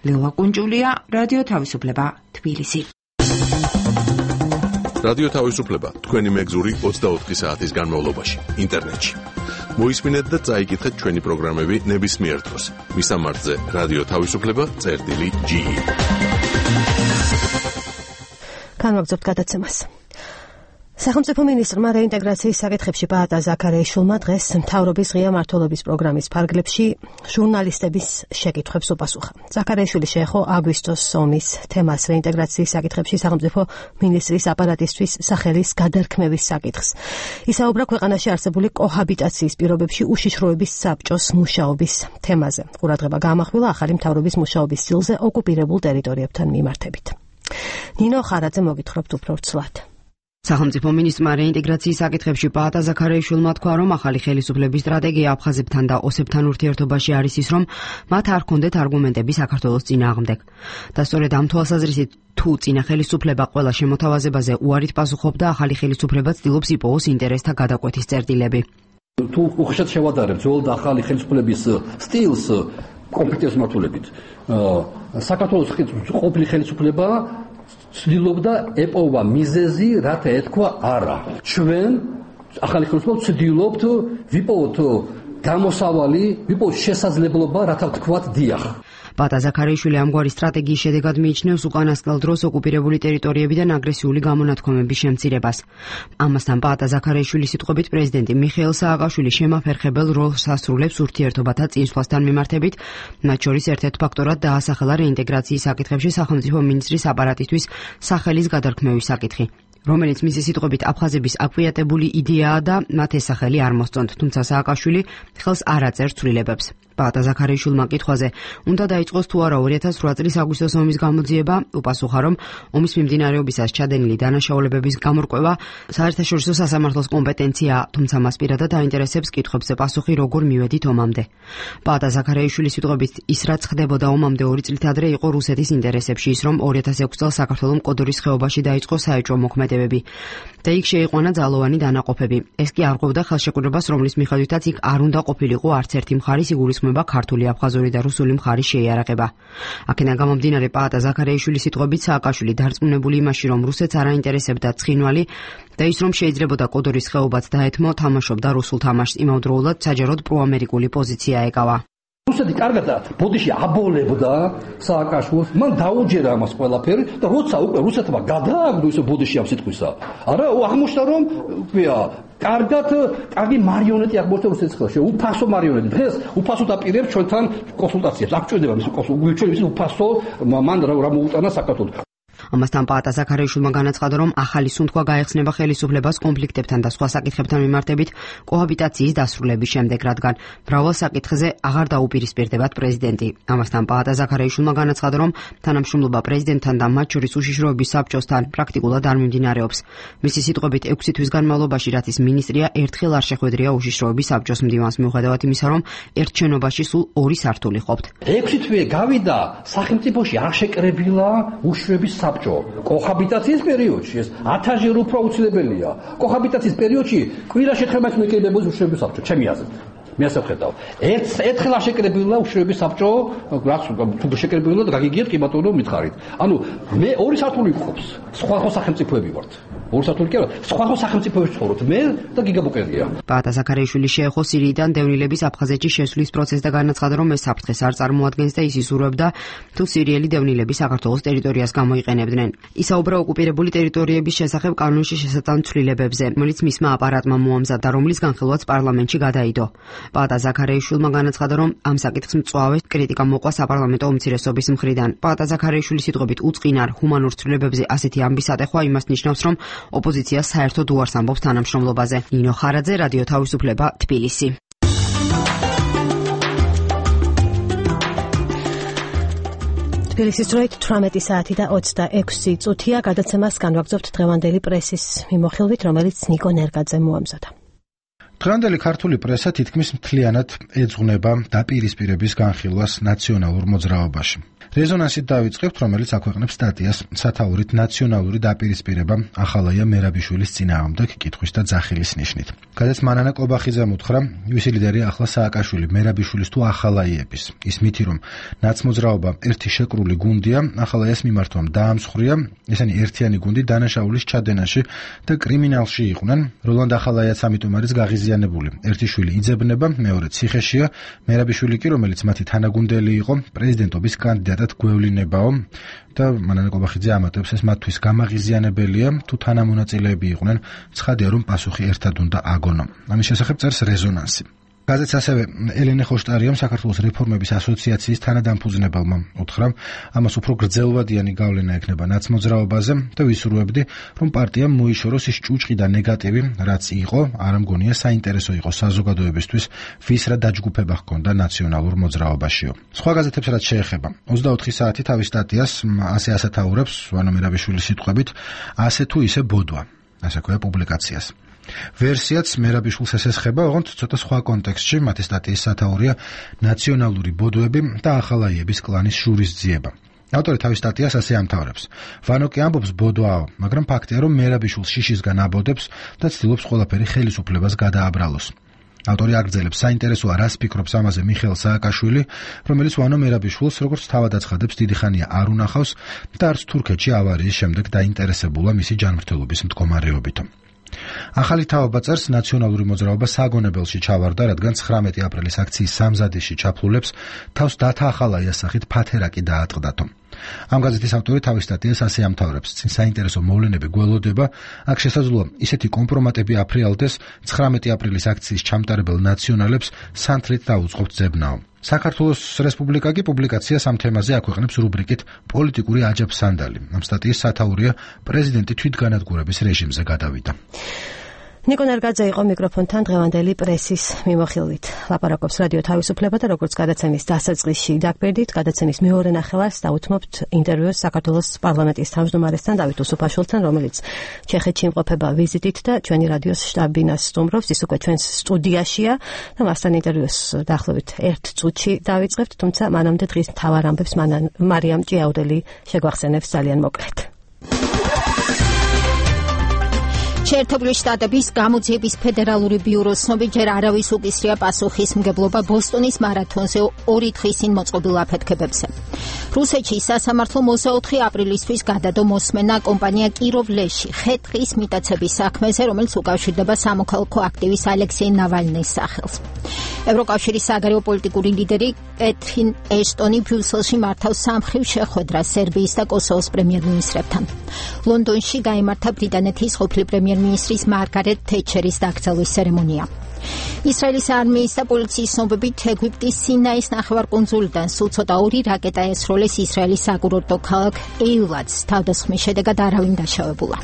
ლელა კუნჭულია, რადიო თავისუფლება, თბილისი. რადიო თავისუფლება თქვენი მეგზური ოცდაოთხი საათის განმავლობაში ინტერნეტში. მოისმინეთ და წაიკითხეთ ჩვენი პროგრამები ნებისმიერ დროს. მისამართზე რადიო თავისუფლება წერტილი ჯი. განვაგრძობთ გადაცემას. სახელმწიფო მინისტრმა რეინტეგრაციის საკითხებში პაატა ზაქარიაშვილმა დღეს მთავრობის ღია მმართველობის პროგრამის ფარგლებში ჟურნალისტების შეკითხვებს უპასუხა. ზაქარიაშვილი შეეხო აგვისტოს ომის თემას რეინტეგრაციის საკითხებში სახელმწიფო მინისტრის აპარატისთვის სახელის გადარქმევის საკითხს. ისაუბრა ქვეყანაში არსებული კოჰაბიტაციის პირობებში უშიშროების საბჭოს მუშაობის თემაზე. ყურადღება გაამახვილა ახალი მთავრობის მუშაობის სტილზე ოკუპირებულ ტერიტორიებთან მიმართებით. ნინო ხარაძე მოგითხრობთ უფრო ცვლად. სახელმწიფო მინისტრმა რეინტეგრაციის საკითხებში პაატა ზაქარიაშვილმა თქვა, რომ ახალი ხელისუფლების სტრატეგია აფხაზებთან და ოსებთან ურთიერთობაში არის ის, რომ მათ არ ჰქონდეთ არგუმენტები საქართველოს წინააღმდეგ. და სწორედ ამ თვალსაზრისით, თუ წინა ხელისუფლება ყველა შემოთავაზებაზე უარით პასუხობდა, ახალი ხელისუფლება ცდილობს იპოვოს ინტერესთა გადაკვეთის წერტილები. თუ უხეშად შევადარებთ ძველ და ახალი ხელისუფლების სტილს კომპეტენტის მართულებით, საქართველოს ყოფილი ხელისუფლება ცდილობდა ეპოვა მიზეზი, რათა ეთქვა არა. ჩვენ ახალი ხელისუფლება ცდილობთ ვიპოვოთ გამოსავალი, ვიპოვოთ შესაძლებლობა, რათა ვთქვათ დიახ. პაატა ზაქარიაშვილი ამგვარი სტრატეგიის შედეგად მიიჩნევს უკანასკნელ დროს ოკუპირებული ტერიტორიებიდან აგრესიული გამონათქვამების შემცირებას. ამასთან პაატა ზაქარიაშვილის სიტყვებით პრეზიდენტი მიხეილ სააკაშვილი შემაფერხებელ როლს ასრულებს ურთიერთობათა წინსვლასთან მიმართებით, მათ შორის ერთ-ერთ ფაქტორად დაასახელა რეინტეგრაციის საკითხებში სახელმწიფო მინისტრის აპარატისთვის სახელის გადარქმევის საკითხი, რომელიც მისი სიტყვებით აფხაზების აკვიატებული იდეაა და მათ ეს სახელი არ მოსწონთ, თუმცა სააკაშვილი ხელს არ აწერს ცვლილებებს. პაატა ზაქარიაშვილმა კითხვაზე, უნდა დაიწყოს თუ არა ორი ათას რვა წლის აგვისტოს ომის გამოძიება, უპასუხა, რომ ომის მიმდინარეობისას ჩადენილი დანაშაულებების გამორკვევა საერთაშორისო სასამართლოს კომპეტენციაა, თუმცა მას პირადად აინტერესებს კითხვებზე პასუხი, როგორ მივედით ომამდე. პაატა ზაქარიაშვილის სიტყვებით, ის რაც ხდებოდა ომამდე ორი წლით ადრე იყო რუსეთის ინტერესებში, ის რომ ორი ათას ექვსი წელს საქართველოს კოდორის ხეობაში დაიწყო საეჭვო მოქმედებები და იქ შეიყვანა ძალოვანი დანაყოფები. ეს კი არღვევდა ხელშეკრულებას, რომლის მიხედვითაც იქ არ უნდა ყოფილიყო არც ერთი მხარის იგულისხმება ქართული, აფხაზური და რუსული მხარის შეიარაღება. აქედან გამომდინარე პაატა ზაქარიაშვილის სიტყვებით სააკაშვილი დარწმუნებული იმაში, რომ რუსეთს არ აინტერესებდა ცხინვალი და ის რომ შეიძლებოდა კოდორის ხეობაც დაეთმო, თამაშობდა რუსულ თამაშს, იმავდროულად საჯაროდ პროამერიკული პოზიცია ეკავა. რუსეთი კარგად ბოდიში აბოლებდა სააკაშვილს, მან დაუჯერა ამას ყველაფერი და როცა უკვე რუსეთმა გადააგდო ისე ბოდიში ამ სიტყვისა, არა აღმოჩნდა რომ ქვია კარგად კარგი მარიონეტი აღმოჩნდა რუსეთის ხელში, უფასო მარიონეტი. დღეს უფასოდ აპირებს ჩვენთან კონსულტაციებს. აქ ჭირდება მის კონსულტაციებს, ჩვენ ის უფასო მან რა მოუტანა საქართველოს. ამასთან პაატა ზაქარიაშვილმა განაცხადა, რომ ახალი სუნთქვა გაეხსნება ხელისუფლებას კონფლიქტებთან და სხვა საკითხებთან მიმართებით კოჰაბიტაციის დასრულების შემდეგ, რადგან მრავალ საკითხზე აღარ დაუპირისპირდებათ პრეზიდენტი. ამასთან პაატა ზაქარიაშვილმა განაცხადა, რომ თანამშრომლობა პრეზიდენტთან და მათ შორის უშიშროების საბჭოსთან პრაქტიკულად არ მიმდინარეობს. მისი სიტყვებით, ექვსი თვის განმავლობაში, რაც ის მინისტრია, ერთხელ არ შეხვედრია უშიშროების საბჭოს მდივანს, მიუხედავად იმისა, რომ ერთ შენობაში სულ ორი სართული ყოფთ. ექვსი თვე გავიდა სახელმწიფოში არ შეკრებილა უშიშროების საბჭო. კოჰაბიტაციის პერიოდში ეს ათასჯერ უფრო აუცილებელია. კოჰაბიტაციის პერიოდში კვირაში ერთხელ მაინც მეკრებებოდა უშიშროების საბჭო, ჩემი აზრით. მე ასე ვხედავ. ერთ ერთხელ არ შეკრებილა უშიშროების საბჭო, რაც თუ შეკრებილა და გაგიგიათ კი ბატონო მითხარით. ანუ მე ორი სართული გყობს. სხვა ხო სახელმწიფოები ვართ. ორი სართული კი არა, სხვა ხო სახელმწიფოებში ცხოვრობთ. მე და გიგაბუკერია. პაატა ზაქარიაშვილი შეეხო სირიიდან დევნილების აფხაზეთში შესვლის პროცესს და განაცხადა, რომ ეს საფრთხეს არ წარმოადგენს და ის იზურებდა, თუ სირიელი დევნილები საქართველოს ტერიტორიას გამოიყენებდნენ. ისაუბრა ოკუპირებული ტერიტორიების შესახებ კანონში შესატან ცვლილებებზე, რომელიც მისმა აპარატმა მოამზადა, რომლის განხილვაც პარლამენტში გადაიდო. პაატა ზაქარიაშვილმა განაცხადა, რომ ამ საკითხს მწვავე კრიტიკა მოყვა საპარლამენტო უმცირესობის მხრიდან. პაატა ზაქარიაშვილის სიტყვებით, უწყინარ ჰუმანურ ცვლილებებზე ასეთი ამბის ატეხვა იმას ნიშნავს, რომ ოპოზიცია საერთოდ უარს ამბობს თანამშრომლობაზე. ნინო ხარაძე, რადიო თავისუფლება, თბილისი. თბილისის დროით თვრამეტი საათი და ოცდაექვსი წუთია. გადაცემას განვაგრძობთ დღევანდელი პრესის მიმოხილვით, რომელიც ნიკო ნერგაძე მოამზადა. დღევანდელი ქართული პრესა თითქმის მთლიანად ეძღვნება დაპირისპირების განხილვას ნაციონალურ მოძრაობაში. რეზონანსით დავიწყებთ, რომელიც აქვეყნებს სტატიას სათაურით ნაციონალური დაპირისპირება ახალაია მერაბიშვილის წინააღმდეგ კითხვის და ძახილის ნიშნით. გადაც მანანა კობახიძემ უთხრა, ვისი ლიდერი ახლა სააკაშვილი მერაბიშვილის თუ ახალაიების. ის მითი, რომ ნაცმოძრაობა ერთი შეკრული გუნდია, ახალაიას მიმართვამ დაამსხვრია, ესენი ერთიანი გუნდი დანაშაულის ჩადენაში და კრიმინალში იყვნენ. როლანდ ახალაიაც ამიტომ არის გაღიზიანებული. ერთი შვილი იძებნება, მეორე ციხეშია, მერაბიშვილი კი, რომელიც მათი თანაგუნდელი იყო, პრეზიდენტობის კანდიდატად გვევლინებაო და მანანა კობახიძე ამატებს, ეს მათთვის გამაღიზიანებელია, თუ თანამონაწილეები იყვნენ, ცხადია, რომ პასუხი ერთად უნდა აგონო. ამის შესახებ წერს რეზონანსი. გაზეთს ასევე ელენე ხოშტარიამ საქართველოს რეფორმების ასოციაციის თანადამფუძნებელმა უთხრა, ამას უფრო გრძელვადიანი გავლენა ექნება ნაცმოძრაობაზე და ვისურვებდი, რომ პარტიამ მოიშოროს ის ჭუჭყი და ნეგატივი, რაც იყო, არ მგონია საინტერესო იყო საზოგადოებისთვის, ვის რა დაჯგუფება ჰქონდა ნაციონალურ მოძრაობაშიო. სხვა გაზეთებს რაც შეეხება, ოცდაოთხი საათი თავის სტატიას ასე ასათაურებს, ვანო მერაბიშვილის სიტყვებით, ასე თუ ისე ბოდვა, ასე ქვია პუბლიკაციას. ვერსიაც მერაბიშვილს ესესხება, ოღონდ ცოტა სხვა კონტექსტში, მათი სტატიის სათაურია ნაციონალური ბოდვები და ახალაიების კლანის შურისძიება. ავტორი თავის სტატიას ასე ამთავრებს. ვანო კი ამბობს ბოდვაო, მაგრამ ფაქტია, რომ მერაბიშვილს შიშისგან აბოდებს და ცდილობს ყველაფერი ხელისუფლებას გადააბრალოს. ავტორი აგრძელებს, საინტერესოა რას ფიქრობს ამაზე მიხეილ სააკაშვილი, რომელიც ვანო მერაბიშვილს როგორც თავად აცხადებს, დიდი ხანია არ უნახავს და არც თურქეთში ავარიის შემდეგ დაინტერესებულა მისი ჯანმრთელობის მდგომარეობით. ახალი თაობა წერს, ნაციონალური მოძრაობა საგონებელში ჩავარდა, რადგან ცხრამეტი აპრილის აქციის სამზადისში ჩაფლულებს თავს დათა ახალაიას სახით ფათერაკი დაატყდათო. ამ გაზეთის ავტორი თავის სტატიას ასე ამთავრებს, წინ საინტერესო მოვლენები გველოდება, აქ შესაძლოა ისეთი კომპრომატები აფრიალდეს ცხრამეტი აპრილის აქციის ჩამტარებელ ნაციონალებს სანთლით დაუწყობთ ძებნაო. საქართველოს რესპუბლიკა კი პუბლიკაციას ამ თემაზე აქვეყნებს რუბრიკით პოლიტიკური აჯაფსანდალი. ამ სტატიის სათაურია პრეზიდენტი თვითგანადგურების რეჟიმზე გადავიდა. ნიკო ნერგაძე იყო მიკროფონთან დღევანდელი პრესის მიმოხილვით. ლაპარაკობს რადიო თავისუფლება და როგორც გადაცემის დასაწყისში დაგბერდით, გადაცემის მეორე ნახევარს დაუთმობთ ინტერვიუს საქართველოს პარლამენტის თავმჯდომარესთან დავით უსუფაშვილთან, რომელიც ჩეხეთში იმყოფება ვიზიტით და ჩვენი რადიოს შტაბ-ბინას სტუმრობს, ის უკვე ჩვენს სტუდიაშია და მასთან ინტერვიუს დაახლოებით ერთ წუთში დავიწყებთ, თუმცა მანამდე დღის მთავარ ამბებს მარიამ ჭიაუდელი შეგვახსენებს ძალიან მოკლედ. შეერთებული შტატების გამოძიების ფედერალური ბიუროს ცნობით, ჯერ არავის უკისრია პასუხისმგებლობა ბოსტონის მარათონზე ორი დღის წინ მოწყობილ აფეთქებებზე. რუსეთში სასამართლო ოცდაოთხი აპრილისთვის გადადო მოსმენა კომპანია კიროვლეში ხე-ტყის მიტაცების საქმეზე, რომელიც უკავშირდება სამოქალაქო აქტივის ალექსეი ნავალნის სახელს. ევროკავშირის საგარეო პოლიტიკური ლიდერი კეთრინ ეშტონი ბრიუსელში მართავს სამხრივ შეხვედრას სერბიის და კოსოვოს პრემიერ-მინისტრებთან. ლონდონში გაიმართა ბრიტანეთის ყოფილი პრემიერ მინისტრის მარგარეტ თეჩერის დაკრძალვის ცერემონია. ისრაელის არმიის და პოლიციის ცნობებით ეგვიპტის სინაის ნახევარკუნძულიდან სულ ცოტა ორი რაკეტა ესროლეს ისრაელის საკურორტო ქალაქ ეილატს. თავდასხმის შედეგად არავინ დაშავებულა.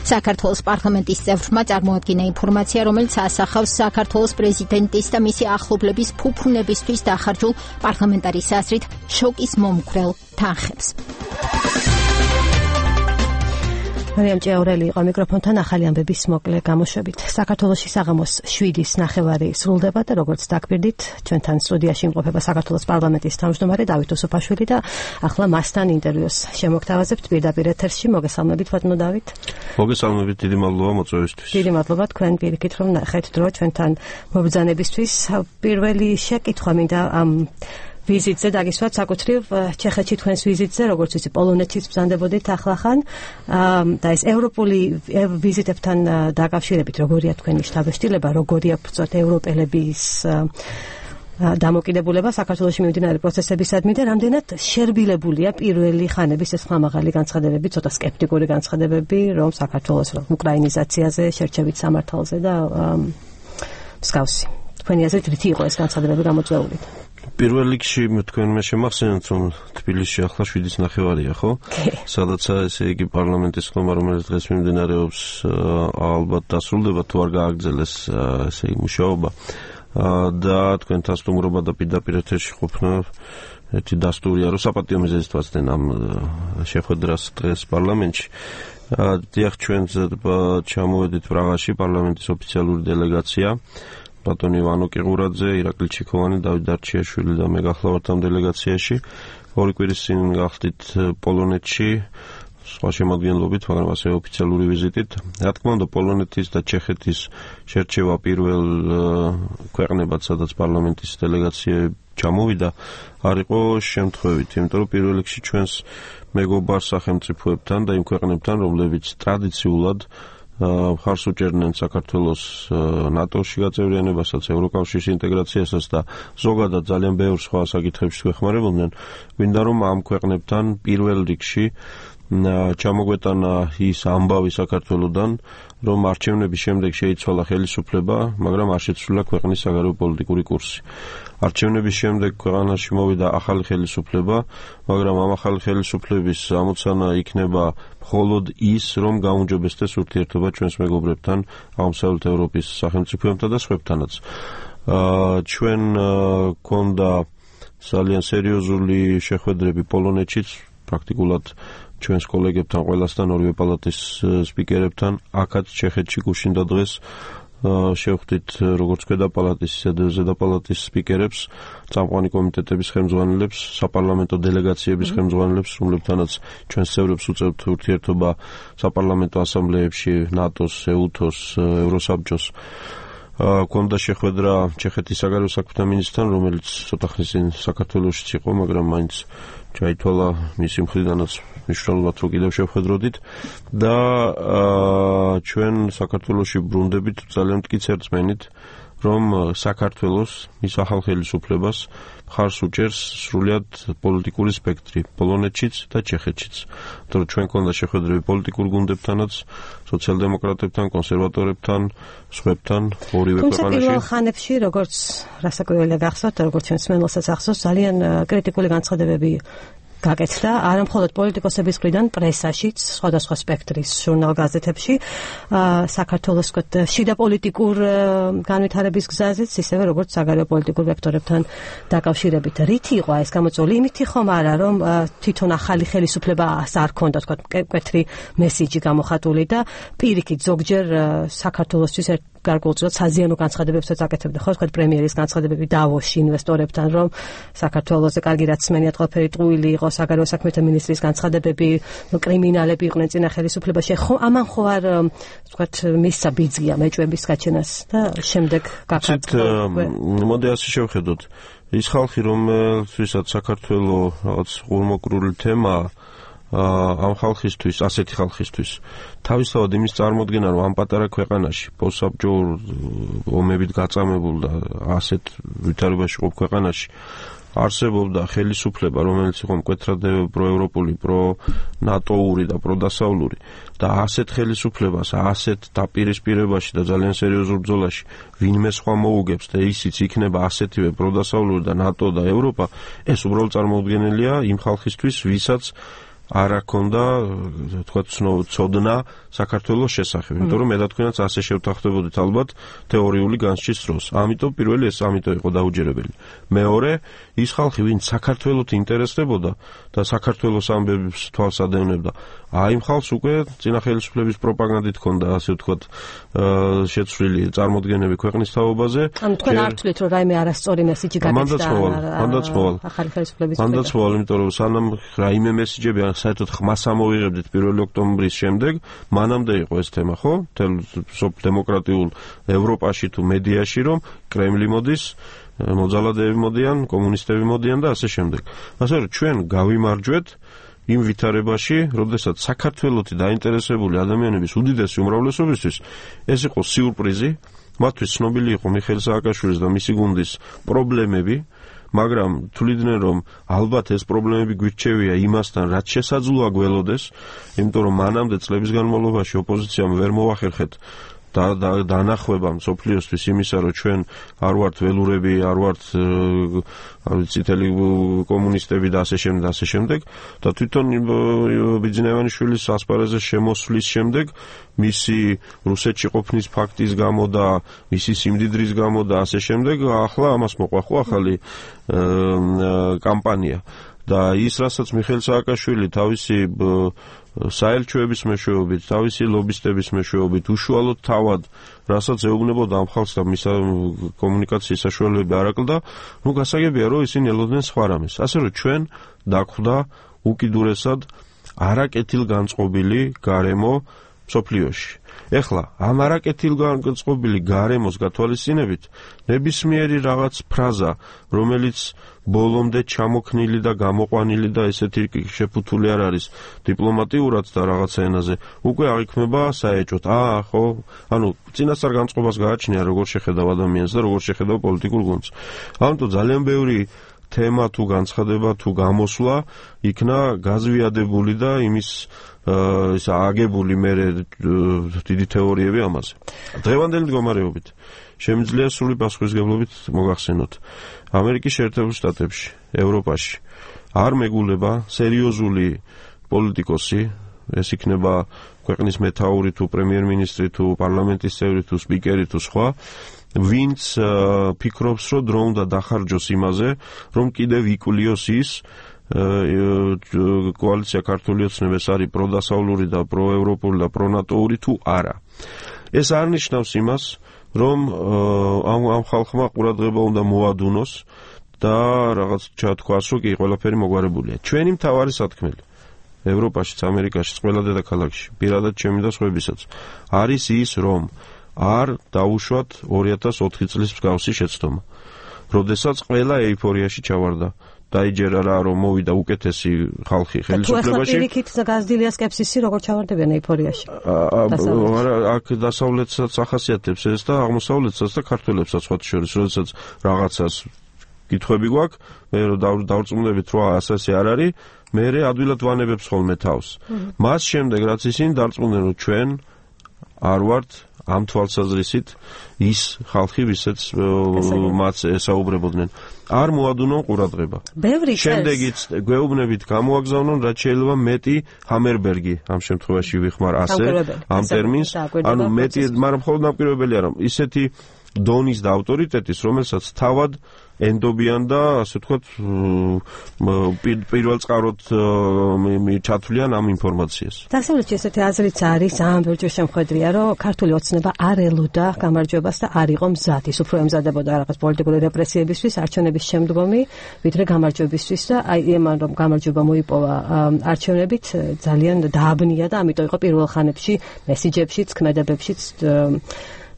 საქართველოს პარლამენტის წევრმა წარმოადგინა ინფორმაცია, რომელიც ასახავს საქართველოს პრეზიდენტის და მისი ახლობლების ფუფუნებისთვის დახარჯულ პარლამენტარის აზრით შოკის მომხრელ თანხებს. მარიამ ჭეაურელი იყო მიკროფონთან ახალი ამბების მოკლე გამოშვებით. საქართველოში საღამოს შვიდის ნახევარი სრულდება და როგორც დაგბირდით, ჩვენთან სტუდიაში იმყოფება საქართველოს პარლამენტის თავმჯდომარე დავით უსუფაშვილი და ახლა მასთან ინტერვიუს შემოგთავაზებთ პირდაპირ ეთერში. მოგესალმებით, ბატონო დავით. მოგესალმებით, დიდი მადლობა მოწვევისთვის. დიდი მადლობა თქვენ პირიქით რომ ნახეთ დრო ჩვენთან მობრძანებისთვის. პირველი შეკითხვა მინდა ამ ვიზიტზე დაგისვათ საკუთრივ ჩეხეთში თქვენს ვიზიტზე, როგორც ვიცი, პოლონეთშიც ბრძანდებოდით ახლახან და ეს ევროპული ვიზიტებთან დაკავშირებით როგორია თქვენი შთაბეჭდილება, როგორია ბრძოთ ევროპელების დამოკიდებულება საქართველოში მიმდინარე პროცესებისადმი და რამდენად შერბილებულია პირველი ხანების ეს ხმამაღალი განცხადებები, ცოტა სკეპტიკური განცხადებები, რომ საქართველოს უკრაინიზაციაზე, შერჩევით სამართალზე და მსგავსი. თქვენი აზრით რითი იყო ეს განცხადებები გამოწვეული? პირველ რიგში თქვენმა შემახსენეთ, რომ თბილისში ახლა შვიდის ნახევარია, ხო? სადაც ესე იგი პარლამენტის ხმა, რომელიც დღეს მიმდინარეობს, ალბათ დასრულდება თუ არ გააგრძელეს ესე იგი მუშაობა და თქვენთან სტუმრობა და პირდაპირ ეთერში ყოფნა ერთი დასტურია, რომ საპატიო მიზეზით ვაცდენ ამ შეხვედრას დღეს პარლამენტში. დიახ, ჩვენ ჩამოვედით პრაღაში პარლამენტის ოფიციალური დელეგაცია. ბატონი ივანო კიღურაძე, ირაკლი ჩიქოვანი, დავით დარჩიაშვილი და მე გახლავართ ამ დელეგაციაში. ორი კვირის წინ გახდით პოლონეთში, სხვა შემადგენლობით, მაგრამ ასე ოფიციალური ვიზიტით. რა თქმა უნდა, პოლონეთის და ჩეხეთის შერჩევა პირველ ქვეყნებად, სადაც პარლამენტის დელეგაცია ჩამოვიდა, არ იყო შემთხვევითი, იმიტომ რომ პირველ რიგში ჩვენს მეგობარ სახელმწიფოებთან და იმ ქვეყნებთან, რომლებიც ტრადიციულად მხარს უჭერდნენ საქართველოს ნატოში გაწევრიანებასაც, ევროკავშირის ინტეგრაციასაც და ზოგადად ძალიან ბევრ სხვა საკითხებში გვეხმარებოდნენ. გვინდა რომ ამ ქვეყნებთან პირველ რიგში ჩამოგვეტანა ის ამბავი საქართველოსდან, რომ არჩევნების შემდეგ შეიცვალა ხელისუფლება, მაგრამ არ შეცვლილა ქვეყნის საგარეო პოლიტიკური კურსი. არჩევნების შემდეგ ქვეყანაში მოვიდა ახალი ხელისუფლება, მაგრამ ამ ახალი ხელისუფლების ამოცანა იქნება მხოლოდ ის, რომ გაუმჯობესდეს ურთიერთობა ჩვენს მეგობრებთან, აღმოსავლეთ ევროპის სახელმწიფოებთან და სხვებთანაც. ჩვენ გქონდა ძალიან სერიოზული შეხვედრები პოლონეთშიც, პრაქტიკულად ჩვენს კოლეგებთან, ყველასთან, ორივე პალატის სპიკერებთან, აქაც ჩეხეთში გუშინდა დღეს შევხვდით როგორც ქვედა პალატის, ისე ზედა პალატის სპიკერებს, წამყვანი კომიტეტების ხელმძღვანელებს, საპარლამენტო დელეგაციების ხელმძღვანელებს, რომლებთანაც ჩვენს წევრებს უწევთ ურთიერთობა საპარლამენტო ასამბლეებში, ნატოს, ეუთოს, ევროსაბჭოს. გქონდა შეხვედრა ჩეხეთის საგარეო საქმეთა მინისტრთან, რომელიც ცოტა ხნის წინ საქართველოშიც იყო, მაგრამ მაინც ჩაითვალა მისი მხრიდანაც მნიშვნელოვნად რომ კიდევ შევხედროდით და ჩვენ საქართველოში ბრუნდებით ძალიან მტკიცერ რწმენით, რომ საქართველოს მის ახალ ხელისუფლებას მხარს უჭერს სრულიად პოლიტიკური სპექტრი, პოლონეთშიც და ჩეხეთშიც. თორე ჩვენ გქონდა შეხვედრები პოლიტიკურ გუნდებთანაც, სოციალ-დემოკრატებთან, კონსერვატორებთან, სხვებთან, ორივე ქვეყანაში. თუმცა პირველ ხანებში, როგორც რასაკვირველია გახსოვთ, როგორც ჩვენს მემლოსაც ახსოვს, ძალიან კრიტიკული განცხადებები გაკეთდა, არა მხოლოდ პოლიტიკოსების მხრიდან, პრესაშიც, სხვადასხვა სპექტრის ჟურნალ-გაზეთებში, საქართველოს შიდა პოლიტიკურ განვითარების გზაზეც, ისევე როგორც საგარეო პოლიტიკურ ვექტორებთან დაკავშირებით. რითი იყო ეს გამოწვეული? იმითი ხომ არა, რომ თვითონ ახალი ხელისუფლებას არ ქონდა, თქვა, მკვეთრი მესიჯი გამოხატული და პირიქით ზოგჯერ საქართველოსთვის გარკვეულწილად საზიანო განცხადებებსაც აკეთებდა, ხო, თქვა პრემიერის განცხადებები დავოსში ინვესტორებთან, რომ საქართველოსზე კარგი რაცმენია, ყველაფერი ტყუილი იყო, საგარეო საქმეთა მინისტრის განცხადებები, კრიმინალები იყვნენ წინა ხელისუფლებაში. ხო, ამან ხო არ თქვა მისცა ბიძგია მეჭვების გაჩენას და შემდეგ გაკეთდა. მოდი ასე შევხედოთ. ის ხალხი, რომელთვისაც საქართველოს რაღაც ღურმოკრული თემაა, ამ ხალხისთვის, ასეთი ხალხისთვის თავისთავად იმის წარმოდგენა, რომ ამ პატარა ქვეყანაში, პოსტსაბჭოურ ომებით გაწამებულ და ასეთ ვითარებაში ყოფ ქვეყანაში არსებობდა ხელისუფლება, რომელიც იყო მკვეთრად პროევროპული, პრონატოური და პროდასავლური და ასეთ ხელისუფლებას, ასეთ დაპირისპირებაში და ძალიან სერიოზულ ბრძოლაში ვინმე სხვა მოუგებს და ისიც იქნება ასეთივე პროდასავლური და ნატო და ევროპა, ეს უბრალოდ წარმოუდგენელია იმ ხალხისთვის, ვისაც არ აქონდა თქვა ცოდნა საქართველოს შესახებ, იმიტომ რომ მე და თქვენაც ასე შევთანხმდებოდით ალბათ თეორიული განსჯის დროს. ამიტომ პირველი ეს ამიტომ იყო დაუჯერებელი. მეორე, ის ხალხი, ვინც საქართველოს ინტერესდებოდა და საქართველოს ამბებს თვალს ადევნებდა, აი იმ ხალხს უკვე წინა ხელისუფლების პროპაგანდით ჰქონდა, ასე ვთქვათ, შეცვლილი წარმოდგენები ქვეყნის თაობაზე. ანუ თქვენ არ თვლით, რომ რაიმე არასწორი მესიჯი გაგეცდა ახალი ხელისუფლების მიერ? მანდაც მოვალ, იმიტომ რომ სანამ რაიმე მესიჯები საერთოდ ხმას ამოვიღებდით პირველი ოქტომბრის შემდეგ, მანამდე იყო ეს თემა, ხო? თელ დემოკრატიულ ევროპაში თუ მედიაში, რომ კრემლი მოდის, მოძალადეები მოდიან, კომუნისტები მოდიან და ასე შემდეგ. ასე რომ ჩვენ გავიმარჯვეთ იმ ვითარებაში, როდესაც საქართველოსი დაინტერესებული ადამიანების უდიდესი უმრავლესობისთვის ეს იყო სიურპრიზი, მათთვის ცნობილი იყო მიხეილ სააკაშვილის და მისი გუნდის პრობლემები, მაგრამ თვლიდნენ რომ ალბათ ეს პრობლემები გვირჩევია იმასთან, რაც შესაძლოა გველოდეს, იმიტომ რომ მანამდე წლების განმავლობაში ოპოზიციამ ვერ მოახერხეთ და დანახვება მსოფლიოსთვის იმისა, რომ ჩვენ არ ვართ ველურები, არ ვართ წითელი კომუნისტები და ასე შემდეგ, ასე შემდეგ და თვითონ ბიძინევანიშვილის ასპარეზის შემოსვლის შემდეგ მისი რუსეთში ყოფნის ფაქტის გამო და მისი სიმდიდრის გამო და ასე შემდეგ ახლა ამას მოყვა ხო ახალი კამპანია და ის რასაც მიხეილ სააკაშვილი თავისი საელჩოების მეშვეობით, თავისი ლობისტების მეშვეობით უშუალოდ თავად, რასაც ეუბნებოდა ამ ხალხს და მის კომუნიკაციის საშუალებები არ აკლდა, ნუ გასაგებია, რომ ისინი ელოდნენ სხვა რამეს. ასე რომ ჩვენ დაგვხვდა უკიდურესად არაკეთილგანწყობილი გარემო მსოფლიოში. ეხლა ამ არაკეთილგანწყობილი გარემოს გათვალისწინებით ნებისმიერი რაღაც ფრაზა, რომელიც ბოლომდე ჩამოქნილი და გამოყვანილი და ესეთი შეფუთული არ არის დიპლომატიურად და რაღაცა ენაზე, უკვე აღიქმება საეჭვოდ. აა, ხო, ანუ წინასწარ განწყობას გააჩნია როგორ შეხედავ ადამიანს და როგორ შეხედავ პოლიტიკურ გუნდს. ამიტომ ძალიან ბევრი თემა თუ განცხადება თუ გამოსვლა იქნა გაზვიადებული და იმის ის აგებული მე დიდი თეორიები ამაზე. დღევანდელი მდგომარეობით შემიძლია სრული პასუხისმგებლობით მოგახსენოთ. ამერიკის შეერთებულ შტატებში, ევროპაში არ მეგულება სერიოზული პოლიტიკოსი, ეს იქნება ქვეყნის მეთაური თუ პრემიერ-მინისტრი თუ პარლამენტის წევრი თუ სპიკერი თუ სხვა, ვინც ფიქრობს, რომ დრო უნდა დახარჯოს იმაზე, რომ კიდევ იკვლიოს ის კოალიცია ქართული ოცნების არის პროდასავლური და პროევროპული და პრონატოური თუ არა. ეს არ ნიშნავს იმას, რომ ამ ამ ხალხმა ყურადღება უნდა მოადუნოს და რაღაც ჩათქვას, რომ კი ყველაფერი მოგვარებულია. ჩვენი მთავარი სათქმელი ევროპაშიც, ამერიკაშიც, ყველა დედაქალაქში, პირადად ჩემი და სხვებისაც არის ის, რომ არ დაუშვათ ორი ათას ოთხი წლის მსგავსი შეცდომა. როდესაც ყველა ეიფორიაში ჩავარდა. დაიჯერა რა, რომ მოვიდა უკეთესი ხალხი ხელისუფლებაში. თუ ახლა პირიქით გაზრდილია სკეპსისი, როგორ ჩავარდებიან ეიფორიაში? არა, აქ დასავლეთსაც ახასიათებს ეს და აღმოსავლეთსაც და ქართველებსაც სხვა შორის, როდესაც რაღაცას კითხვები გვაქვს, მე რომ დავრწმუნდებით, რომ ასასი არ არის, მე ადვილად ვანებებს ხოლმე თავს. მას შემდეგ, რაც ისინი დარწმუნდნენ, რომ ჩვენ არ ვართ ამ თვალსაზრისით ის ხალხი, ვისაც მათ ესაუბრებოდნენ. არ მოადუნონ ყურადღება. შემდეგიც გვეუბნებით გამოაგზავნონ, რაც შეიძლება მეტი ჰამერბერგი ამ შემთხვევაში ვიხმარ ასე ამ ტერმინს, ანუ მეტი, მაგრამ მხოლოდ ნაპირობელი არა, ისეთი დონის და ავტორიტეტის, რომელსაც თავად ენდობიან და ასე ვთქვათ პირველ წყაროდ ჩათვლიან ამ ინფორმაციას. დასავლეთში ესეთი აზრიც არის, ამ ბევრჯერ შემხედრია, რომ ქართული ოცნება არ ელოდა გამარჯვებას და არ იყო მზად. ის უფრო ემზადებოდა რაღაც პოლიტიკური რეპრესიებისთვის, არჩევნების შემდგომი, ვიდრე გამარჯვებისთვის და აი იმან რომ გამარჯვება მოიპოვა არჩევნებით ძალიან დააბნია და ამიტომ იყო პირველ ხანებში მესიჯებშიც, ქმედებებშიც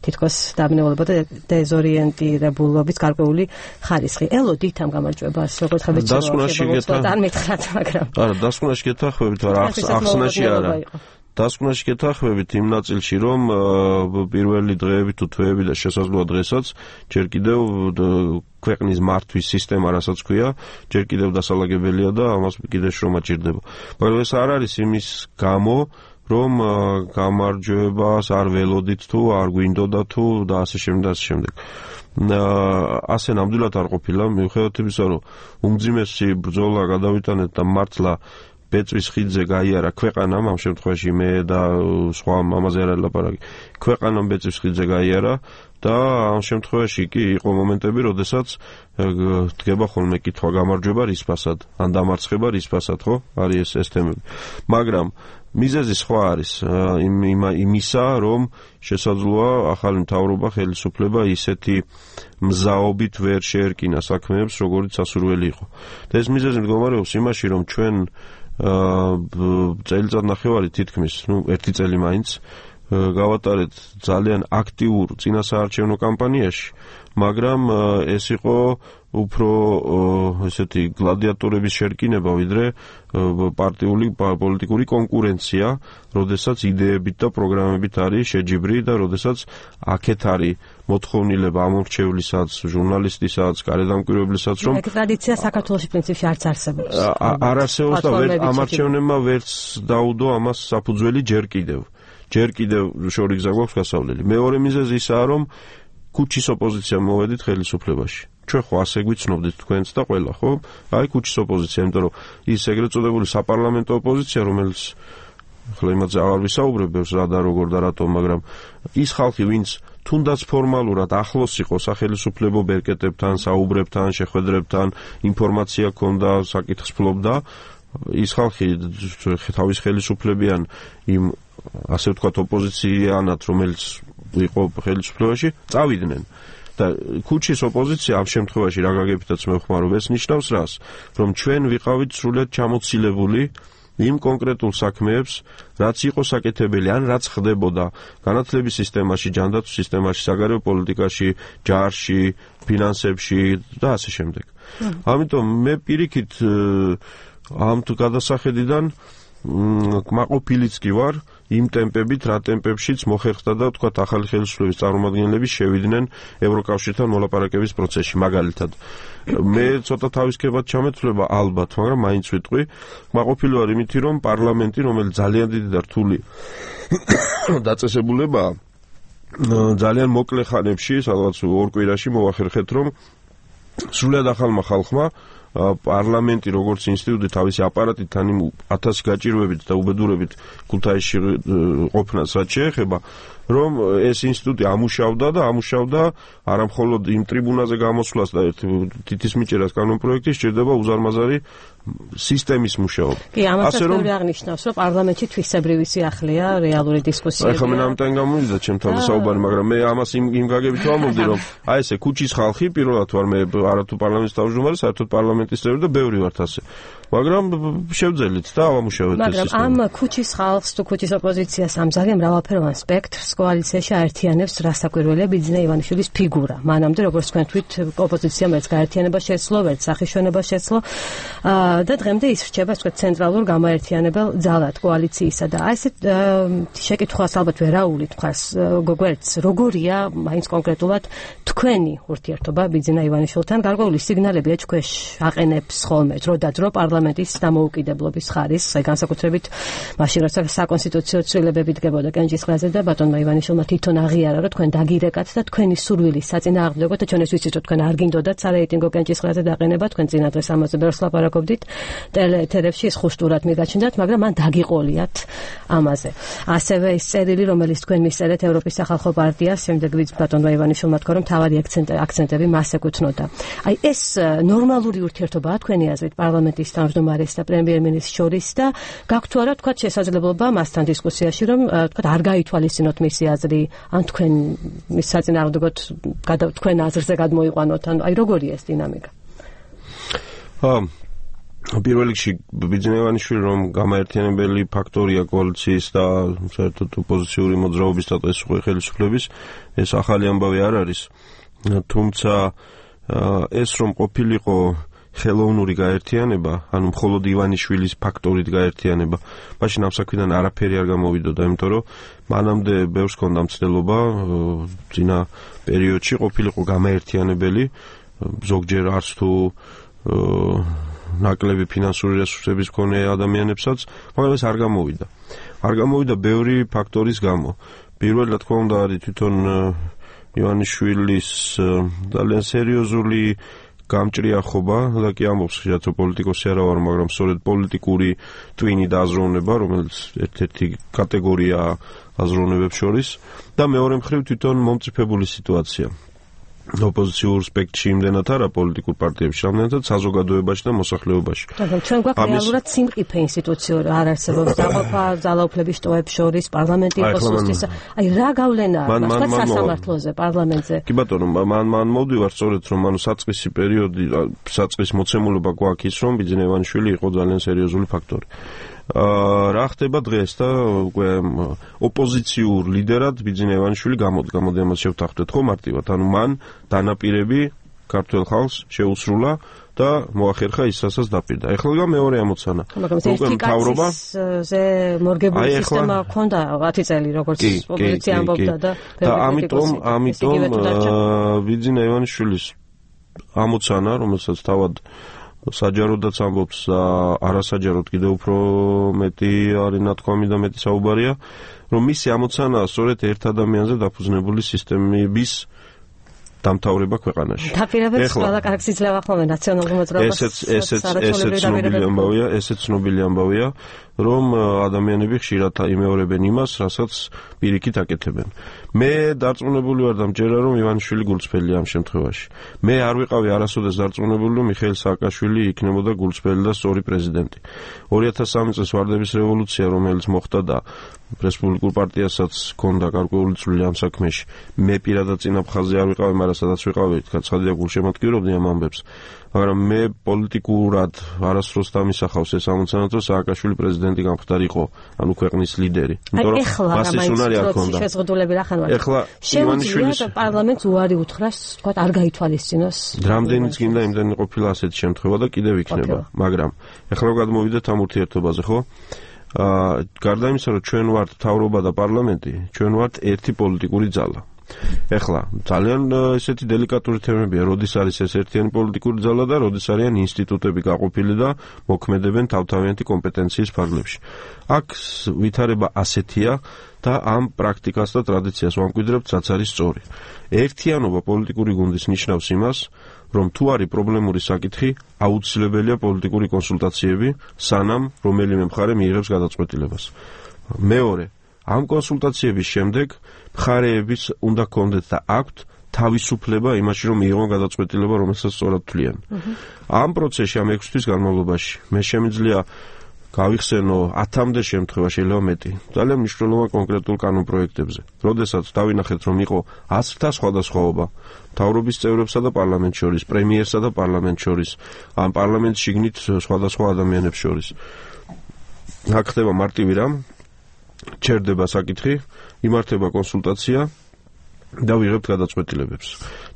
თითქოს დააბნეულობა და დეზორიენტირებულობის გარკვეული ხარისხი. ელოდით ამ გამარჯვებას, როგორც ხებეთ შეიძლება არ მითხრათ, მაგრამ არა, დასკვნაში გეთანხმებით, არა, ახსნაში არა. დასკვნაში გეთანხმებით იმ ნაწილში, რომ პირველი დღეები თუ თვეები და შესაძლოა დღესაც ჯერ კიდევ ქვეყნის მართვის სისტემა, რასაც ქვია, ჯერ კიდევ დასალაგებელია და ამას კიდევ შრომა ჭირდება. მაგრამ ეს არ არის იმის გამო, რომ გამარჯვებას არ ველოდით თუ არ გვინდოდა თუ და ასე შემდეგ და ასე შემდეგ. ასე ნამდვილად არ ყოფილა, მიუხედავად იმისა, რომ უმძიმესი ბრძოლა გადავიტანეთ და მართლა ბეწვის ხიდზე გაიარა ქვეყანამ, ამ შემთხვევაში მე და სხვა ამაზე არ არის ლაპარაკი. ქვეყანამ ბეწვის ხიდზე გაიარა და ამ შემთხვევაში კი იყო მომენტები, როდესაც დგება ხოლმე კითხვა გამარჯვება რის ფასად, ან დამარცხება რის ფასად, ხო? არის ეს ეს თემები. მაგრამ მიზეზი სხვა არის იმისა, რომ შესაძლოა ახალი მთავრობა, ხელისუფლება ისეთი მზაობით ვერ შეერკინა საქმეებს, როგორც სასურველი იყო. და ეს მიზეზი მდგომარეობს იმაში, რომ ჩვენ წელიწად ნახევარი თითქმის, ნუ ერთი წელი მაინც გავატარეთ ძალიან აქტიურ წინასაარჩევნო კამპანიაში, მაგრამ ეს იყო უფრო ესეთი გლადიატორების შერკინება, ვიდრე პარტიული პოლიტიკური კონკურენცია, როდესაც იდეებით და პროგრამებით არის შეჯიბრი და როდესაც აქეთ არის მოთხოვნილება ამორჩევლისაც, ჟურნალისტისაც, გარედამკვირვებლისაც, რომ ეგ ტრადიცია საქართველოში პრინციპში არც არსებობს. არ არსებობს და ვერ ამარჩევნებმა ვერც დაუდო ამას საფუძველი ჯერ კიდევ. ჯერ კიდევ შორი გზა გვაქვს გასავლელი. მეორე მიზეზი ისაა, რომ ქუჩის ოპოზიცია მოვედით ხელისუფლებაში. ჩვენ ხო ასე გვიცნობდით თქვენც და ყველა, ხო? აი ქუჩის ოპოზიცია, იმიტომ რომ ის ეგრეთ წოდებული საპარლამენტო ოპოზიცია, რომელიც ახლა იმაზე აღარ ვისაუბრებ, რა და როგორ და რატომ, მაგრამ ის ხალხი, ვინც თუნდაც ფორმალურად ახლოს იყო სახელისუფლებო ბერკეტებთან, საუბრებთან, შეხვედრებთან, ინფორმაცია ჰქონდა, საკითხს ფლობდა, ის ხალხი თავის ხელისუფლებიან იმ ასე ვთქვათ ოპოზიციიანად, რომელიც იყო ხელისუფლებაში, წავიდნენ. და ქუჩის ოპოზიცია ამ შემთხვევაში რა გაგებითაც მევხმარობ, ეს ნიშნავს რას? რომ ჩვენ ვიყავით სრულად ჩამოცილებული იმ კონკრეტულ საქმეებს, რაც იყო საკეთებელი, ან რაც ხდებოდა განათლების სისტემაში, ჯანდაცვის სისტემაში, საგარეო პოლიტიკაში, ჯარში, ფინანსებში და ასე შემდეგ. ამიტომ მე პირიქით ამ თუ გადასახედიდან კმაყოფილიც კი ვარ იმ ტემპებით, რა ტემპებშიც მოხერხდა და თქვათ ახალი ხელისუფლების წარმომადგენლები შევიდნენ ევროკავშირთან მოლაპარაკების პროცესში, მაგალითად. მე ცოტა თავისკებად ჩამეთვლება ალბათ, მაგრამ მაინც ვიტყვი, კმაყოფილი ვარ იმითი, რომ პარლამენტი, რომელიც ძალიან დიდი და რთული დაწესებულებაა, ძალიან მოკლე ხანებში, სადღაც ორ კვირაში მოვახერხეთ, რომ სრულად ახალმა ხალხმა პარლამენტი როგორც ინსტიტუტი თავისი აპარატით ან ათასი გაჭირვებით და უბედურებით ქუთაისში ყოფნას რაც შეეხება, რომ ეს ინსტიტუტი ამუშავდა და ამუშავდა არა მხოლოდ იმ ტრიბუნაზე გამოსვლას და თითისმიჭერას კანონპროექტი, სჭირდება უზარმაზარი სისტემის მუშაობა. კი, ამასაც ბევრი აღნიშნავს, რომ პარლამენტში თვისებრივი სიახლეა რეალური დისკუსიები. ეხლა მე ამიტომ გამოვიდა ჩემ თავზე საუბარი, მაგრამ მე ამას იმ იმ გაგებით ვამბობდი, რომ აი ესე ქუჩის ხალხი პირველად ვარ მე არათუ პარლამენტის თავმჯდომარე, საერთოდ პარლამენტის წევრი და ბევრი ვართ ასე. მაგრამ შევძელით და ავამუშავეთ ეს სისტემა. მაგრამ ამ ქუჩის ხალხს თუ ქუჩის ოპოზიციას ამ ძალიან მრავალფეროვან სპექტრს კოალიციაში აერთიანებს რასაკვირველია ბიძინა ივანიშვილის ფიგურა. მანამდე როგორც თქვენ თქვით, ოპოზიციამ ერთ გაერთიანება შეცლო, ერთ სახეშვენება შეცლო და დღემდე ის რჩება თქვა ცენტრალურ გამაერთიანებელ ძალად კოალიციისა და აი ესეთ შეკითხვას ალბათ ვერაული თქვას გოგოერც როგორია მაინც კონკრეტულად თქვენი ურთიერთობა ბიძინა ივანიშვილთან, გარკვეული სიგნალები ეჭქვეშ აყენებს ხოლმე დრო და დრო პარლამენტის დამოუკიდებლობის ხარისხს, განსაკუთრებით მაშინ როცა საკონსტიტუციო ცვლილებები დგებოდა კენჭისყრაზე და ბატონმა ივანიშვილმა თვითონ აღიარა, რომ თქვენ დაგირეკათ და თქვენი სურვილის საწინააღმდეგო და ჩვენ ეს ვიცით, რომ თქვენ არ გინდოდათ სარეიტინგო კენჭისყრაზე დაყენება, თქვენ წინადრეს ამაზე ბევრს ლაპარაკობდით ტელეეთერებში, ის ხუშტურად მიგაჩნდათ, მაგრამ მან დაგიყოლიათ ამაზე. ასევე ის წერილი, რომელიც თქვენ მისწერეთ ევროპის სახალხო პარტიას, შემდეგ ვიც ბატონმა ივანიშვილმა თქვა, რომ თავარი აქცენტები მას ეკუთვნოდა. აი ეს ნორმალური ურთიერთობაა თქვენი აზრით პარლამენტის თავმჯდომარეს და პრემიერ-მინისტრს შორის და გაქვთ თუ არა თქვა შესაძლებლობა მასთან დისკუსიაში, რომ თქვა არ გაითვალისწინოთ მისი აზრი, ან თქვენ მის საწინააღმდეგოდ თქვენ აზრზე გადმოიყვანოთ, ან აი როგორია ეს დინამიკა? აა პირველ რიგში ბიძინა ივანიშვილი რომ გამაერთიანებელი ფაქტორია კოალიციის და საერთოდ ოპოზიციური მოძრაობის და ეს ხელისუფლების, ეს ახალი ამბავი არ არის. თუმცა ეს რომ ყოფილიყო ხელოვნური გაერთიანება, ანუ მხოლოდ ივანიშვილის ფაქტორით გაერთიანება, მაშინ ამ საქმიდან არაფერი არ გამოვიდოდა, იმიტომ რომ მანამდე ბევრს ჰქონდა მცდელობა წინა პერიოდში ყოფილიყო გამაერთიანებელი ზოგჯერ არც თუ ნაკლები ფინანსური რესურსების მქონე ადამიანებსაც, მაგრამ ეს არ გამოვიდა. არ გამოვიდა ბევრი ფაქტორის გამო. პირველად, რა თქმა უნდა, არის თვითონ ივანიშვილის ძალიან სერიოზული გამჭრიახობა და კი ამბობს ხშირად რომ პოლიტიკოსი არა ვარ, მაგრამ სწორედ პოლიტიკური ტვინი და აზროვნება, რომელიც ერთ-ერთი კატეგორიაა აზროვნებებს შორის და მეორე მხრივ თვითონ მომწიფებული სიტუაცია. ოპოზიციურ სპექტრში იმდენად არა პოლიტიკურ პარტიებში, რამდენადაც საზოგადოებაში და მოსახლეობაში. მაგრამ ჩვენ გვაქვს რეალურად სიმყიფე ინსტიტუციური არ არსებობს დაყოფა ძალაუფლების შტოებს შორის, პარლამენტი იყოს უსტისა. აი რა გავლენაა თქვა სასამართლოზე, პარლამენტზე? კი ბატონო, მან მან მოვდივარ სწორედ რომ ანუ საწყისი პერიოდი, საწყის მოცემულობა გვაქვს ის რომ ბიძინა ივანიშვილი იყო ძალიან სერიოზული ფაქტორი. რა ხდება დღეს და უკვე ოპოზიციურ ლიდერად ბიძინა ივანიშვილი გამოდგა, მოდი ამას შევთანხმდეთ ხო მარტივად, ანუ მან დანაპირები ქართველ ხალხს შეუსრულა და მოახერხა ის, რასაც დაპირდა. ეხლა მეორე ამოცანა. მაგრამ ერთი კაცისზე მორგებული სისტემა ჰქონდა ათი წელი, როგორც ოპოზიცია ამბობდა და და ამიტომ ამიტომ ბიძინა ივანიშვილის ამოცანა, რომელსაც თავად საჯაროდაც ამბობს და არასაჯაროდ კიდევ უფრო მეტი არის ნათქვამი და მეტი საუბარია, რომ მისი ამოცანაა სწორედ ერთ ადამიანზე დაფუძნებული სისტემების დამთავრება ქვეყანაში. დაპირებებს ყველა კარგს იძლევა ხოლმე ნაციონალურ მოძრაობას. ესეც ესეც ესეც ცნობილი ამბავია, ესეც ცნობილი ამბავია, რომ ადამიანები ხშირად იმეორებენ იმას, რასაც პირიქით აკეთებენ. მე დარწმუნებული ვარ და მჯერა რომ ივანიშვილი გულწრფელია ამ შემთხვევაში. მე არ ვიყავი არასოდეს დარწმუნებული რომ მიხეილ სააკაშვილი იქნებოდა გულწრფელი და სწორი პრეზიდენტი. ორი ათას სამი წლის ვარდების რევოლუცია, რომელიც მოხდა და რესპუბლიკურ პარტიასაც ჰქონდა გარკვეული წვლილი ამ საქმეში. მე პირადად წინაფხაზე არ ვიყავი, მაგრამ სადაც ვიყავი, ცხადია გულშემატკივრობდი ამ ამბებს. მაგრამ მე პოლიტიკურად არასდროს დამისახავს ეს ამოცანა, რომ სააკაშვილი პრეზიდენტი გამხდარიყო, ანუ ქვეყნის ლიდერი. იმიტომ რომ მას ეს უნარი არ ჰქონდა. შეზღუდულები რა ხან ვარ. ეხლა ივანიშვილის პარლამენტს უარი უთხრას, თქვა არ გაითვალისწინოს. რამდენიც გინდა იმდენი ყოფილა ასეთი შემთხვევა და კიდევ იქნება, მაგრამ ეხლა გადმოვიდეთ ამ ურთიერთობაზე, ხო? აა გარდა იმისა, რომ ჩვენ ვართ მთავრობა და პარლამენტი, ჩვენ ვართ ერთი პოლიტიკური ძალა. ეხლა ძალიან ესეთი დელიკატური თემებია, როდის არის ეს ერთიანი პოლიტიკური ძალა და როდის არიან ინსტიტუტები გაყოფილი და მოქმედებენ თავთავიანთი კომპეტენციის ფარგლებში. აქ ვითარება ასეთია და ამ პრაქტიკას და ტრადიციას ვამკვიდრებთ, რაც არის სწორი. ერთიანობა პოლიტიკური გუნდის ნიშნავს იმას, რომ თუ არის პრობლემური საკითხი, აუცილებელია პოლიტიკური კონსულტაციები, სანამ რომელიმე მხარე მიიღებს გადაწყვეტილებას. მეორე, ამ კონსულტაციების შემდეგ მხარეების უნდა გქონდეთ და აქვთ თავისუფლება იმაში, რომ მიიღონ გადაწყვეტილება, რომელსაც სწორად თვლიან. ამ პროცესში, ამ ექვსი თვის განმავლობაში, მე შემიძლია გავიხსენო ათამდე შემთხვევა, შეიძლება მეტი, ძალიან მნიშვნელოვან კონკრეტულ კანონპროექტებზე. როდესაც დავინახეთ, რომ იყო ათასთა სხვადასხვაობა მთავრობის წევრებსა და პარლამენტ შორის, პრემიერსა და პარლამენტ შორის, ამ პარლამენტ შიგნით სხვადასხვა ადამიანებს შორის. აქ ხდება მარტივი რამ, ჩერდება საკითხი, იმართება კონსულტაცია და ვიღებთ გადაწყვეტილებებს.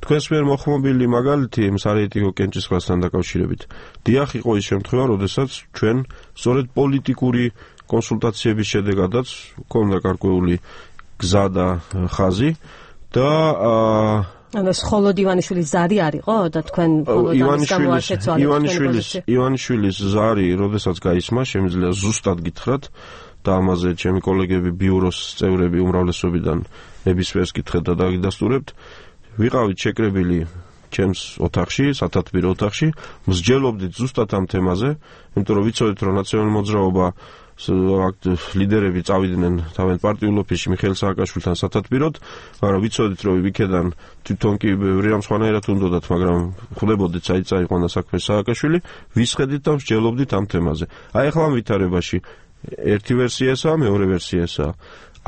თქვენს მიერ მოხმობილი მაგალითი იმ სარეიტინგო კენჭისყრასთან დაკავშირებით. დიახ, იყო ის შემთხვევა, როდესაც ჩვენ სწორედ პოლიტიკური კონსულტაციების შედეგადაც ჰქონდა გარკვეული გზა და ხაზი და ანუ მხოლოდ ივანიშვილის ზარი არისო და თქვენ ივანიშვილის ივანიშვილის ზარი, როდესაც გაისმა, შემიძლია ზუსტად გითხრათ და ამაზე ჩემი კოლეგები ბიუროს წევრები უმრავლესობიდან ნებისმიერს კითხეთ და დაგიდასტურებთ. ვიყავით შეკრებილი ჩემს ოთახში, სათათბირო ოთახში, მსჯელობდით ზუსტად ამ თემაზე, იმიტომ რომ ვიცოდით, რომ ნაციონალური მოძრაობა ლიდერები წავიდნენ თავენ პარტიულ ოფისში მიხეილ სააკაშვილთან სათათბიროდ, მაგრამ ვიცოდით, რომ იქედან თვითონ კი ბევრი რამ სხვანაირად უნდოდათ, მაგრამ ხვდებოდით, საით წაიყვანა საქმე სააკაშვილი, ვისხედით და მსჯელობდით ამ თემაზე. აი ახლა ამ ვითარებაში ერთი ვერსია ესაა, მეორე ვერსია ესაა.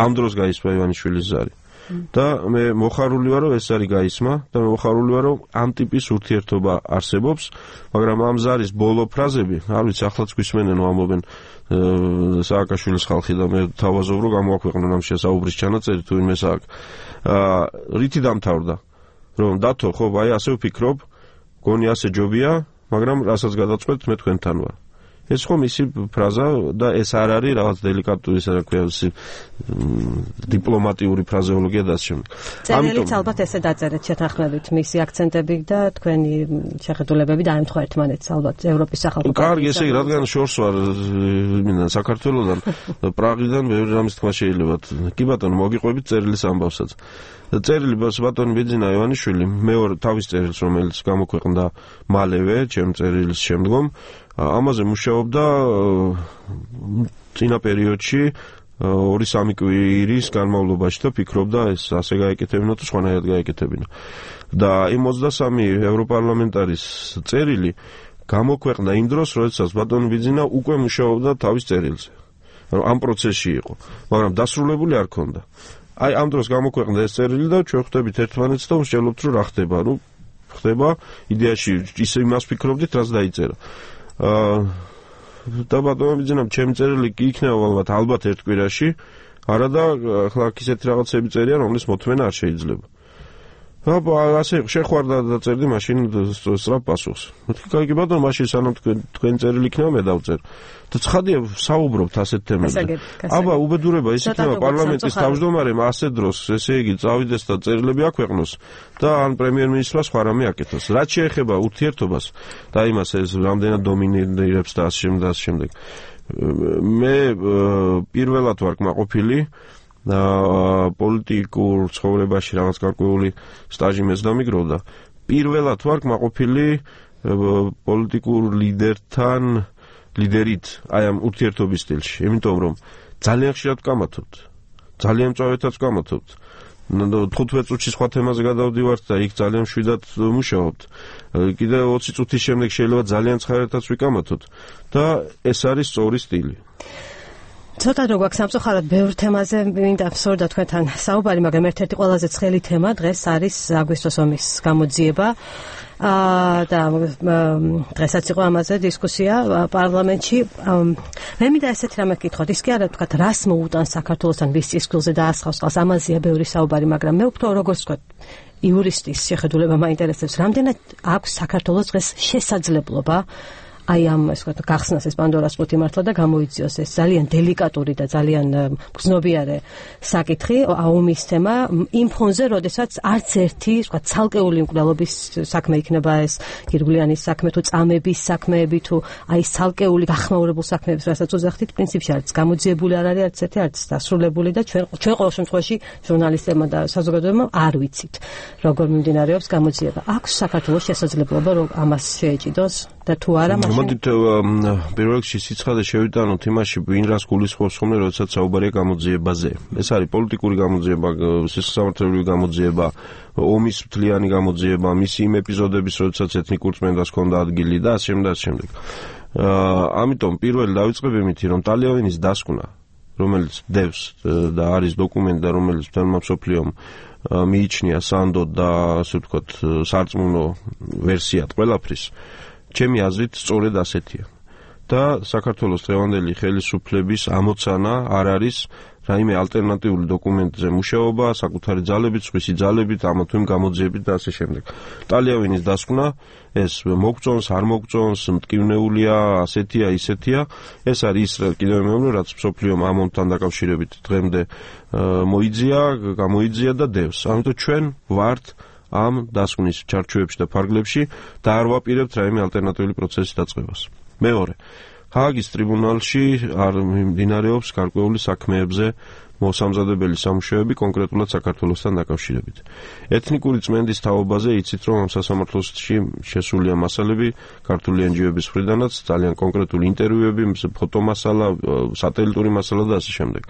ამ დროს გაისმა ივანიშვილის ზარი. და მე მოხარული ვარ, რომ ეს ზარი გაისმა და მე მოხარული ვარ, რომ ამ ტიპის ურთიერთობა არსებობს, მაგრამ ამ ზარის ბოლო ფრაზები, არ ვიცი, ახლაც გვისმენენ, ამბობენ სააკაშვილის ხალხი და მე თავაზობ, რომ გამოაქვეყნონ ამ შესაუბრის ჩანაწერი თუ ვინმე სააკ. აა რითი დამთავრდა? რომ დათო, ხო, აი ასე ვფიქრობ, გონი ასე ჯობია, მაგრამ რასაც გადაწყვეტთ, მე თქვენთან ვარ. ეს ხო მისი ფრაზა და ეს არ არის რაღაც დელიკატური, ისე რა ქვია, დიპლომატიური ფრაზეოლოგია და ასე შემდეგ. წერილიც ალბათ ესე დაწერეთ შეთანხმებით მისი აქცენტები და თქვენი შეხედულებები დაემთხვა ერთმანეთს ალბათ ევროპის სახალხო პარტიის. კარგი, ესე იგი, რადგან შორს ვარ მინდა საქართველოსთან პრაღიდან ბევრი რამის თქვა შეიძლება. კი ბატონო, მოგიყვებით წერილის ამბავსაც. წერილი ბატონი ბიძინა ივანიშვილი მეორე თავის წერილს, რომელიც გამოქვეყნდა მალევე ჩემ წერილის შემდგომ, ამაზე მუშაობდა წინა პერიოდში ორი სამი კვირის განმავლობაში და ფიქრობდა ეს ასე გაეკეთებინა თუ სხვანაირად გაეკეთებინა. და იმ ოცდასამი ევროპარლამენტარის წერილი გამოქვეყნდა იმ დროს, როდესაც ბატონი ბიძინა უკვე მუშაობდა თავის წერილზე. ამ პროცესში იყო, მაგრამ დასრულებული არ ქონდა. აი ამ დროს გამოქვეყნდა ეს წერილი და ჩვენ ხვდებით ერთმანეთს და ვსჯელობთ რომ რა ხდება. ნუ ხდება იდეაში ისე იმას ფიქრობდით, რაც დაიწერა. აა და ბატონო ბიძინამ ჩემი წერილი იქნება ალბათ ალბათ ერთ კვირაში, არა და ახლა ისეთი რაღაცები წერია, რომლის მოთმენა არ შეიძლება. აბა ასე შეხვარდა და წერდი მაშინ სწრაფ პასუხს. მეთქი კაი ბატონო, მაშინ სანამ თქვენ თქვენ წერილი იქნება მე დავწერ. და ცხადია საუბრობთ ასეთ თემებზე. აბა უბედურება ის იქნება პარლამენტის თავმჯდომარემ ასე დროს, ესე იგი წავიდეს და წერილები აქვეყნოს და ან პრემიერ-მინისტრმა სხვა რამე აკეთოს. რაც შეეხება ურთიერთობას და იმას ეს რამდენად დომინირებს და ასე შემდეგ და ასე შემდეგ. მე პირველად ვარ კმაყოფილი და პოლიტიკურ ცხოვრებაში რაღაც გარკვეული სტაჟი მეც დამიგროვდა. პირველად ვარ კმაყოფილი პოლიტიკურ ლიდერთან, ლიდერით აი ამ ურთიერთობის სტილში, იმიტომ რომ ძალიან ხშირად ვკამათობთ. ძალიან მწვავედაც ვკამათობთ. თხუთმეტ წუთში სხვა თემაზე გადავდივართ და იქ ძალიან მშვიდად მუშაობთ. კიდე ოცი წუთის შემდეგ შეიძლება ძალიან ცხადადაც ვიკამათოთ და ეს არის სწორი სტილი. ცოტა რო გვაქვს სამწუხაროდ ბევრ თემაზე მინდა ვსურდა თქვენთან საუბარი, მაგრამ ერთ-ერთი ყველაზე ცხელი თემა დღეს არის აგვისტოს ომის გამოძიება. აა და დღესაც იყო ამაზე დისკუსია პარლამენტში. მე მინდა ესეთი რამე გითხოთ, ის კი არა ვთქვათ, რას მოუტანს საქართველოსთან ვის წისქვილზე და ასხავს ყავს, ამაზეა ბევრი საუბარი, მაგრამ მე უფრო როგორც ვთქვათ, იურისტის შეხედულება მაინტერესებს, რამდენად აქვს საქართველოს დღეს შესაძლებლობა აი ამ ეს ვთქვათ გახსნას ეს პანდორას პუტი მართლა და გამოიწვიოს ეს ძალიან დელიკატური და ძალიან გზნობიარე საკითხი ომის თემა იმ ფონზე, როდესაც არც ერთი ვთქვათ ცალკეული მკვლელობის საქმე იქნება ეს გირგვლიანის საქმე თუ წამების საქმეები თუ აი ცალკეული გახმაურებულ საქმეებს, რასაც უძახდით, პრინციპში არც გამოძიებული არ არის, არც ერთი არც დასრულებული და ჩვენ ჩვენ ყოველ შემთხვევაში ჟურნალისტებმა და საზოგადოებამ არ ვიცით როგორ მიმდინარეობს გამოძიება. აქვს საქართველოს შესაძლებლობა რომ ამას შეეჭიდოს და თუ არა მაშინ მოდით პირველ რიგში სიცხადე შევიტანოთ იმაში, ვინ რას გულისხმობს ხოლმე, როდესაც საუბარია გამოძიებაზე. ეს არის პოლიტიკური გამოძიება, სისხლისამართლებელი გამოძიება, ომის მთლიანი გამოძიება, მისი იმ ეპიზოდების, როდესაც ეთნიკურ წმენდას ჰქონდა ადგილი და ასე შემდეგ და ასე შემდეგ. ამიტომ პირველი დავიწყებ იმით, რომ ტალიავის დასკვნა, რომელიც დევს და არის დოკუმენტი და რომელიც თემმა მსოფლიომ მიიჩნია სანდო და ასე ვთქვათ სარწმუნო ვერსიად ყველაფრის, ჩემი აზრით სწორედ ასეთია. და საქართველოს დღევანდელი ხელისუფლების ამოცანა არ არის რაიმე ალტერნატიული დოკუმენტზე მუშაობა, საკუთარი ძალებით, სხვისი ძალებით, ამა თუ იმ გამოძიებით და ასე შემდეგ. ტალიავის დასკვნა ეს მოგწონს, არ მოგწონს, მტკივნეულია, ასეთია, ისეთია, ეს არის ის კიდევ მეორე, რაც მსოფლიომ ამ ომთან დაკავშირებით დღემდე მოიძია, გამოიძია და დევს. ამიტომ ჩვენ ვართ ამ დასკვნის ჩარჩოებში და ფარგლებში და არ ვაპირებთ რაიმე ალტერნატიული პროცესის დაწყებას. მეორე, ჰააგის ტრიბუნალში არ მიმდინარეობს გარკვეული საქმეებზე მოსამზადებელი სამუშაოები კონკრეტულად საქართველოსთან დაკავშირებით. ეთნიკური წმენდის თაობაზე იცით, რომ ამ სასამართლოში შესულია მასალები ქართული εν ჯი ო-ების მხრიდანაც, ძალიან კონკრეტული ინტერვიუები, ფოტომასალა, სატელიტური მასალა და ასე შემდეგ.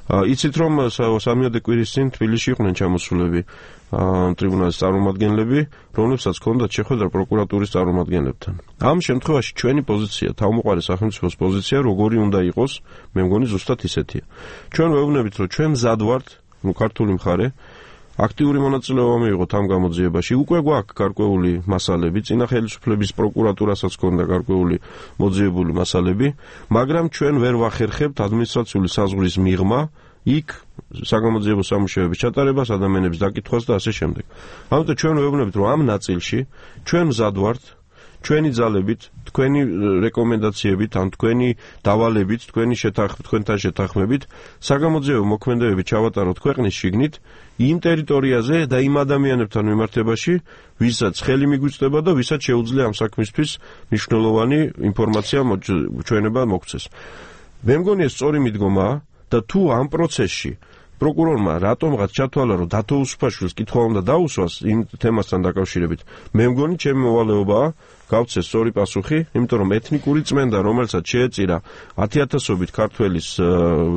იცით, რომ სამიოდე კვირის წინ თბილისში იყვნენ ჩამოსულები ტრიბუნალის წარმომადგენლები, რომლებსაც ჰქონდათ შეხვედრა პროკურატურის წარმომადგენლებთან. ამ შემთხვევაში ჩვენი პოზიცია, თავმოყარი სახელმწიფოს პოზიცია, როგორი უნდა იყოს, მე მგონი ზუსტად ისეთია. ჩვენ ვეუბნებით, რომ ჩვენ მზად ვართ, ნუ ქართული მხარე, აქტიური მონაწილეობა მიიღოთ ამ გამოძიებაში. უკვე გვაქვს გარკვეული მასალები, წინა ხელისუფლების პროკურატურასაც ჰქონდა გარკვეული მოძიებული მასალები, მაგრამ ჩვენ ვერ ვახერხებთ ადმინისტრაციული საზღვრის მიღმა იქ საგამოძიებო სამუშაოების ჩატარებას, ადამიანების დაკითხვას და ასე შემდეგ. ამიტომ ჩვენ ვეუბნებით, რომ ამ ნაწილში ჩვენ მზად ვართ, ჩვენი ძალებით, თქვენი რეკომენდაციებით, ან თქვენი დავალებით, თქვენი შეთანხმებით, თქვენთან შეთანხმებით, საგამოძიებო მოქმედებები ჩავატაროთ ქვეყნის შიგნით, იმ ტერიტორიაზე და იმ ადამიანებთან მიმართებაში, ვისაც ხელი მიგვიწდება და ვისაც შეუძლია ამ საქმისთვის მნიშვნელოვანი ინფორმაცია ჩვენება მოგცეს. მე მგონი ეს სწორი მიდგომაა და თუ ამ პროცესში პროკურორმა რატომღაც ჩათვალა, რომ დათო უსუფაშვილს კითხვა უნდა დაუსვას იმ თემასთან დაკავშირებით, მე მგონი ჩემი მოვალეობაა გავცეს სწორი პასუხი, იმიტომ რომ ეთნიკური წმენდა, რომელსაც შეეწირა ათიათასობით ქართველის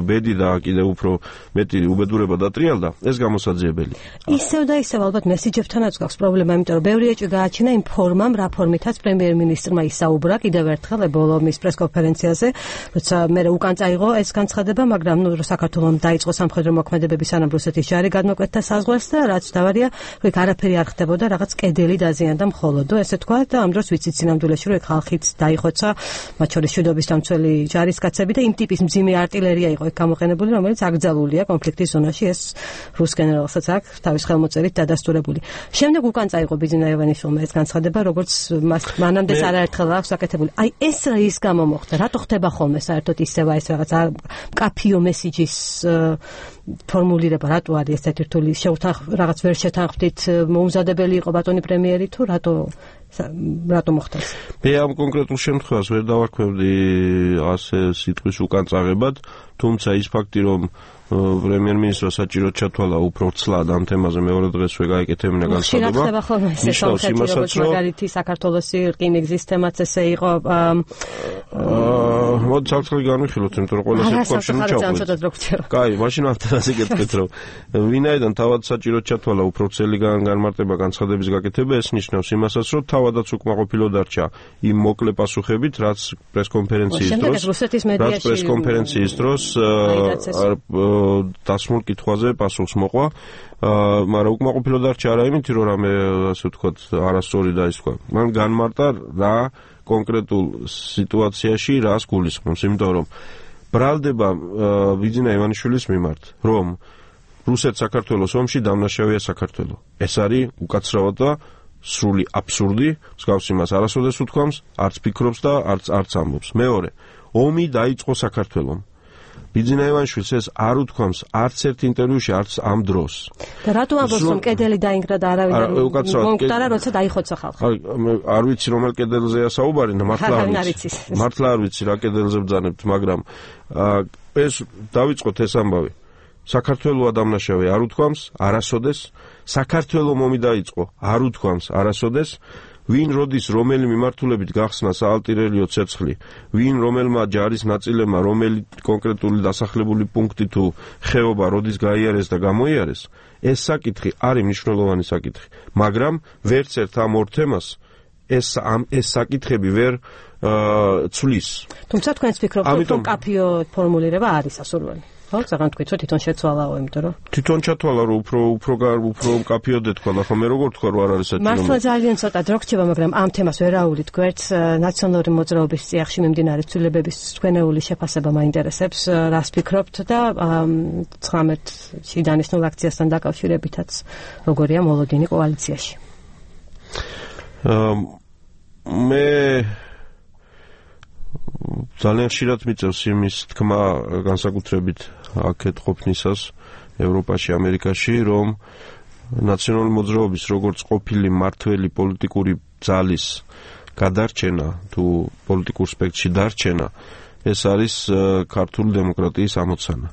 ბედი და კიდევ უფრო მეტი უბედურება დატრიალდა, ეს გამოსაძიებელია. ისევ და ისევ ალბათ მესიჯებთანაც გვაქვს პრობლემა, იმიტომ რომ ბევრი ეჭვი გააჩინა იმ ფორმამ, რა ფორმითაც პრემიერ-მინისტრმა ისაუბრა კიდევ ერთხელ ბოლომის პრესკონფერენციაზე, როცა მე უკან წაიღო ეს განცხადება, მაგრამ ნუ საქართველოს დაიწყო სამხედრო მოქმედებები სანამ რუსეთის ჯარი გადმოკვეთდა საზღვარს და რაც დავარია, რომ იქ არაფერი არ ხდებოდა, რაღაც კედელი დაზიანდა მხოლოდო, ესე თქვა და ამ დროს ვიცით სინამდვილეში, რომ ხალხიც დაიხოცა, მათ შორის მშვიდობის დამცველი ჯარისკაცები და იმ ტიპის მძიმე არტილერია იყო იქ გამოყენებული, რომელიც აკრძალულია კონფლიქტის ზონაში, ეს რუს გენერალსაც აქვს თავის ხელმოწერით დადასტურებული. შემდეგ უკან წაიღო ბიძინა ივანიშვილმა ეს განცხადება, როგორც მანამდეც არაერთხელ აქვს აკეთებული. აი ეს რა ის გამომოხდა, რატო ხდება ხოლმე საერთოდ ისევა ეს რაღაც კაფიო მესიჯის ფორმულირება, რატო არის ესეთი რთული, შეუთანხმ რაღაც ვერ შეთანხმდით, მოუმზადებელი იყო ბატონი პრემიერი თუ რატო რატო მოხდა ეს? მე ამ კონკრეტულ შემთხვევას ვერ დავარქვევდი ასე სიტყვის უკან წაღებად, თუმცა ის ფაქტი, რომ პრემიერ-მინისტრმა საჭიროდ ჩათვალა უფრო ცლად ამ თემაზე მეორე დღესვე გაეკეთებინა განცხადება. ხდება ხოლმე ეს სამხედრო როგორც მაგალითი საქართველოსი რკინიგზის თემაც ესე იყო. აა მოდი საერთოდ განვიხილოთ, იმიტომ რომ ყველა სიტყვაში ნუ ჩავყვეთ. კაი, მაშინ ამაზე გეტყვით, რომ ვინაიდან თავად საჭიროდ ჩათვალა უფრო ცელი განმარტება განცხადების გაკეთება, ეს ნიშნავს იმასაც, რომ თავადაც უკმაყოფილო დარჩა იმ მოკლე პასუხებით, რაც პრესკონფერენციის დროს, რაც პრესკონფერენციის დროს დასმულ კითხვაზე პასუხს მოყვა, მაგრამ უკმაყოფილო დარჩა არა იმით, რომ რამე ასე ვთქვათ, არასწორი დაისხვა. მან განმარტა რა კონკრეტულ სიტუაციაში რას გულისხმობს, იმიტომ რომ ბრალდება ბიძინა ივანიშვილის მიმართ, რომ რუსეთ-საქართველოს ომში დამნაშავეა საქართველო. ეს არის უკაცრავად და სრული აბსურდი, მსგავს იმას არასოდეს უთქვამს, არც ფიქრობს და არც არც ამბობს. მეორე, ომი დაიწყო საქართველომ. ბიძინა ივანიშვილს ეს არ უთქვამს არც ერთ ინტერვიუში, არც ამ დროს. და რატო ამბობს, რომ კედელი დაინგრა და არავინ მომკვდარა, როცა დაიხოცა ხალხი? არ ვიცი, რომელ კედელზეა საუბარი, მართლა არ ვიცი. მართლა არ ვიცი რა კედელზე ბრძანებთ, მაგრამ ეს დავიწყოთ ეს ამბავი. საქართველოა დამნაშავე არ უთქვამს, არასოდეს. საქართველო მომი დაიწყო, არ უთქვამს, არასოდეს. ვინ როდის რომელი მიმართულებით გახსნა საალტირელიო ცეცხლი, ვინ რომელმა ჯარის ნაწილებმა რომელი კონკრეტული დასახლებული პუნქტი თუ ხეობა როდის გაიარეს და გამოიარეს, ეს საკითხი არის მნიშვნელოვანი საკითხი, მაგრამ ვერც ერთ ამ ორ თემას ეს ამ ეს საკითხები ვერ ცვლის. თუმცა თქვენს ფიქრობთ, რომ კაფიო ფორმულირება არის ასურველი? ხო, ზოგადად თქვით, რომ თვითონ შეცვალაო, იმიტომ რომ თვითონ ჩათვალა, რომ უფრო უფრო უფრო კაფიო დეთქვა, ხო, მე როგორ თქვა, რომ არ არის საჭირო. მართლა ძალიან ცოტა დრო რჩება, მაგრამ ამ თემას ვერ აუვლით გვერდს, ნაციონალური მოძრაობის წიაღში მიმდინარე ცვლილებების თქვენეული შეფასება მაინტერესებს, რას ფიქრობთ და ცხრამეტ შიდანიშნულ აქციასთან დაკავშირებითაც როგორია მოლოდინი კოალიციაში? მე ძალიან ხშირად მიწევს იმის თქმა განსაკუთრებით აქეთ ყოფნისას ევროპაში, ამერიკაში, რომ ნაციონალური მოძრაობის როგორც ყოფილი მართველი პოლიტიკური ძალის გადარჩენა თუ პოლიტიკურ სპექტრში დარჩენა, ეს არის ქართული დემოკრატიის ამოცანა.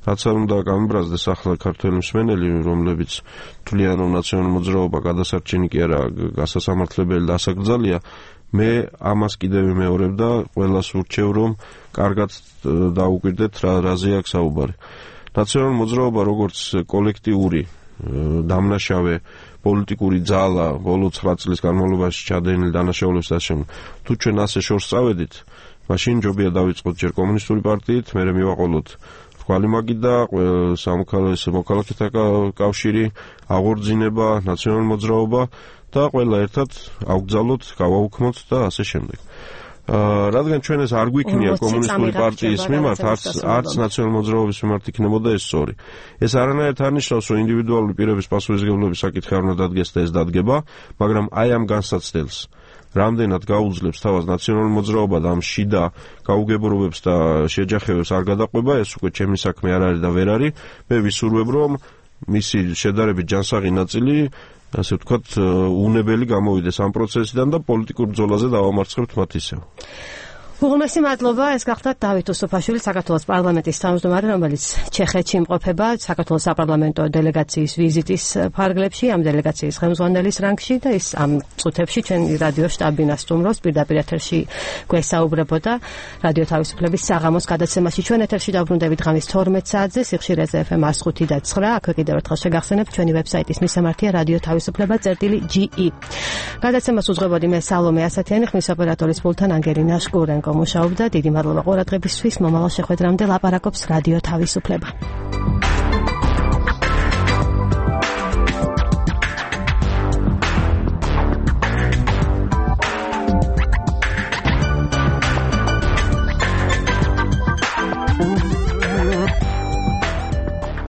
რაც არ უნდა გამიბრაზდეს ახლა ქართველი მსმენელი, რომლებიც თვლიან, რომ ნაციონალური მოძრაობა გადასარჩენი კი არა, გასასამართლებელი და ასაკრძალია, მე ამას კიდევ ვიმეორებ და ყველას ვურჩევ, რომ კარგად დაუკვირდეთ რა რაზე აქვს საუბარი. ნაციონალური მოძრაობა როგორც კოლექტიური დამნაშავე პოლიტიკური ძალა ბოლო ცხრა წლის განმავლობაში ჩადენილი დანაშაულების დასაშემ, თუ ჩვენ ასე შორს წავედით, მაშინ ჯობია დავიწყოთ ჯერ კომუნისტური პარტიით, მერე მივაყოლოთ რქვალი მაგი და სამოქალაქო მოქალაქეთა კავშირი, აღორძინება, ნაციონალური მოძრაობა და ყველა ერთად ავგზავნოთ, გავაუქმოთ და ასე შემდეგ. აა რადგან ჩვენ ეს არ გვიქნია კომუნისტური პარტიის მიმართ, არც არც ნაციონალური მოძრაობის მიმართ იქნებოდა ეს სწორი. ეს არანაირად არ ნიშნავს, რომ ინდივიდუალური პირების პასუხისმგებლობის საკითხი არ უნდა დადგეს და ეს დადგება, მაგრამ აი ამ განსაცდელს, რამდენად გაუძლებს თავას ნაციონალური მოძრაობა და ამ შიდა გაუგებრობებს და შეჯახებებს არ გადაყვება, ეს უკვე ჩემი საქმე არ არის და ვერ არის. მე ვისურვებ, რომ მისი შედარებით ჯანსაღი ნაწილი, ასე ვთქვათ, უნებელი გამოვიდეს ამ პროცესიდან და პოლიტიკურ ბრძოლაზე დავამარცხებთ მათ ისევ. უღრმესი მადლობა, ეს გახლდათ დავით უსუფაშვილი, საქართველოს პარლამენტის თავმჯდომარე, რომელიც ჩეხეთში იმყოფება საქართველოს საპარლამენტო დელეგაციის ვიზიტის ფარგლებში, ამ დელეგაციის ხელმძღვანელის რანგში და ის ამ წუთებში ჩვენი რადიო შტაბი ნასტუმრობს, პირდაპირ ეთერში გვესაუბრებოდა რადიო თავისუფლების საღამოს გადაცემაში. ჩვენ ეთერში დავბრუნდებით ღამის თორმეტ საათზე, სიხშირეზე ეფ ემ one oh five და nine. აქვე კიდევ ერთხელ შეგახსენებთ ჩვენი ვებსაიტის მისამართია რადიო თავისუფლება წერტილი ჯი ი. გადაცემას უძღვებოდი მე სალომე ასათიანი, ხმის ოპერატორის პულტთან ანგელინა შკურენკო მუშაობდა. დიდი მადლობა ყურადღებისთვის. მომავალ შეხვედრამდე ლაპარაკობს რადიო თავისუფლება.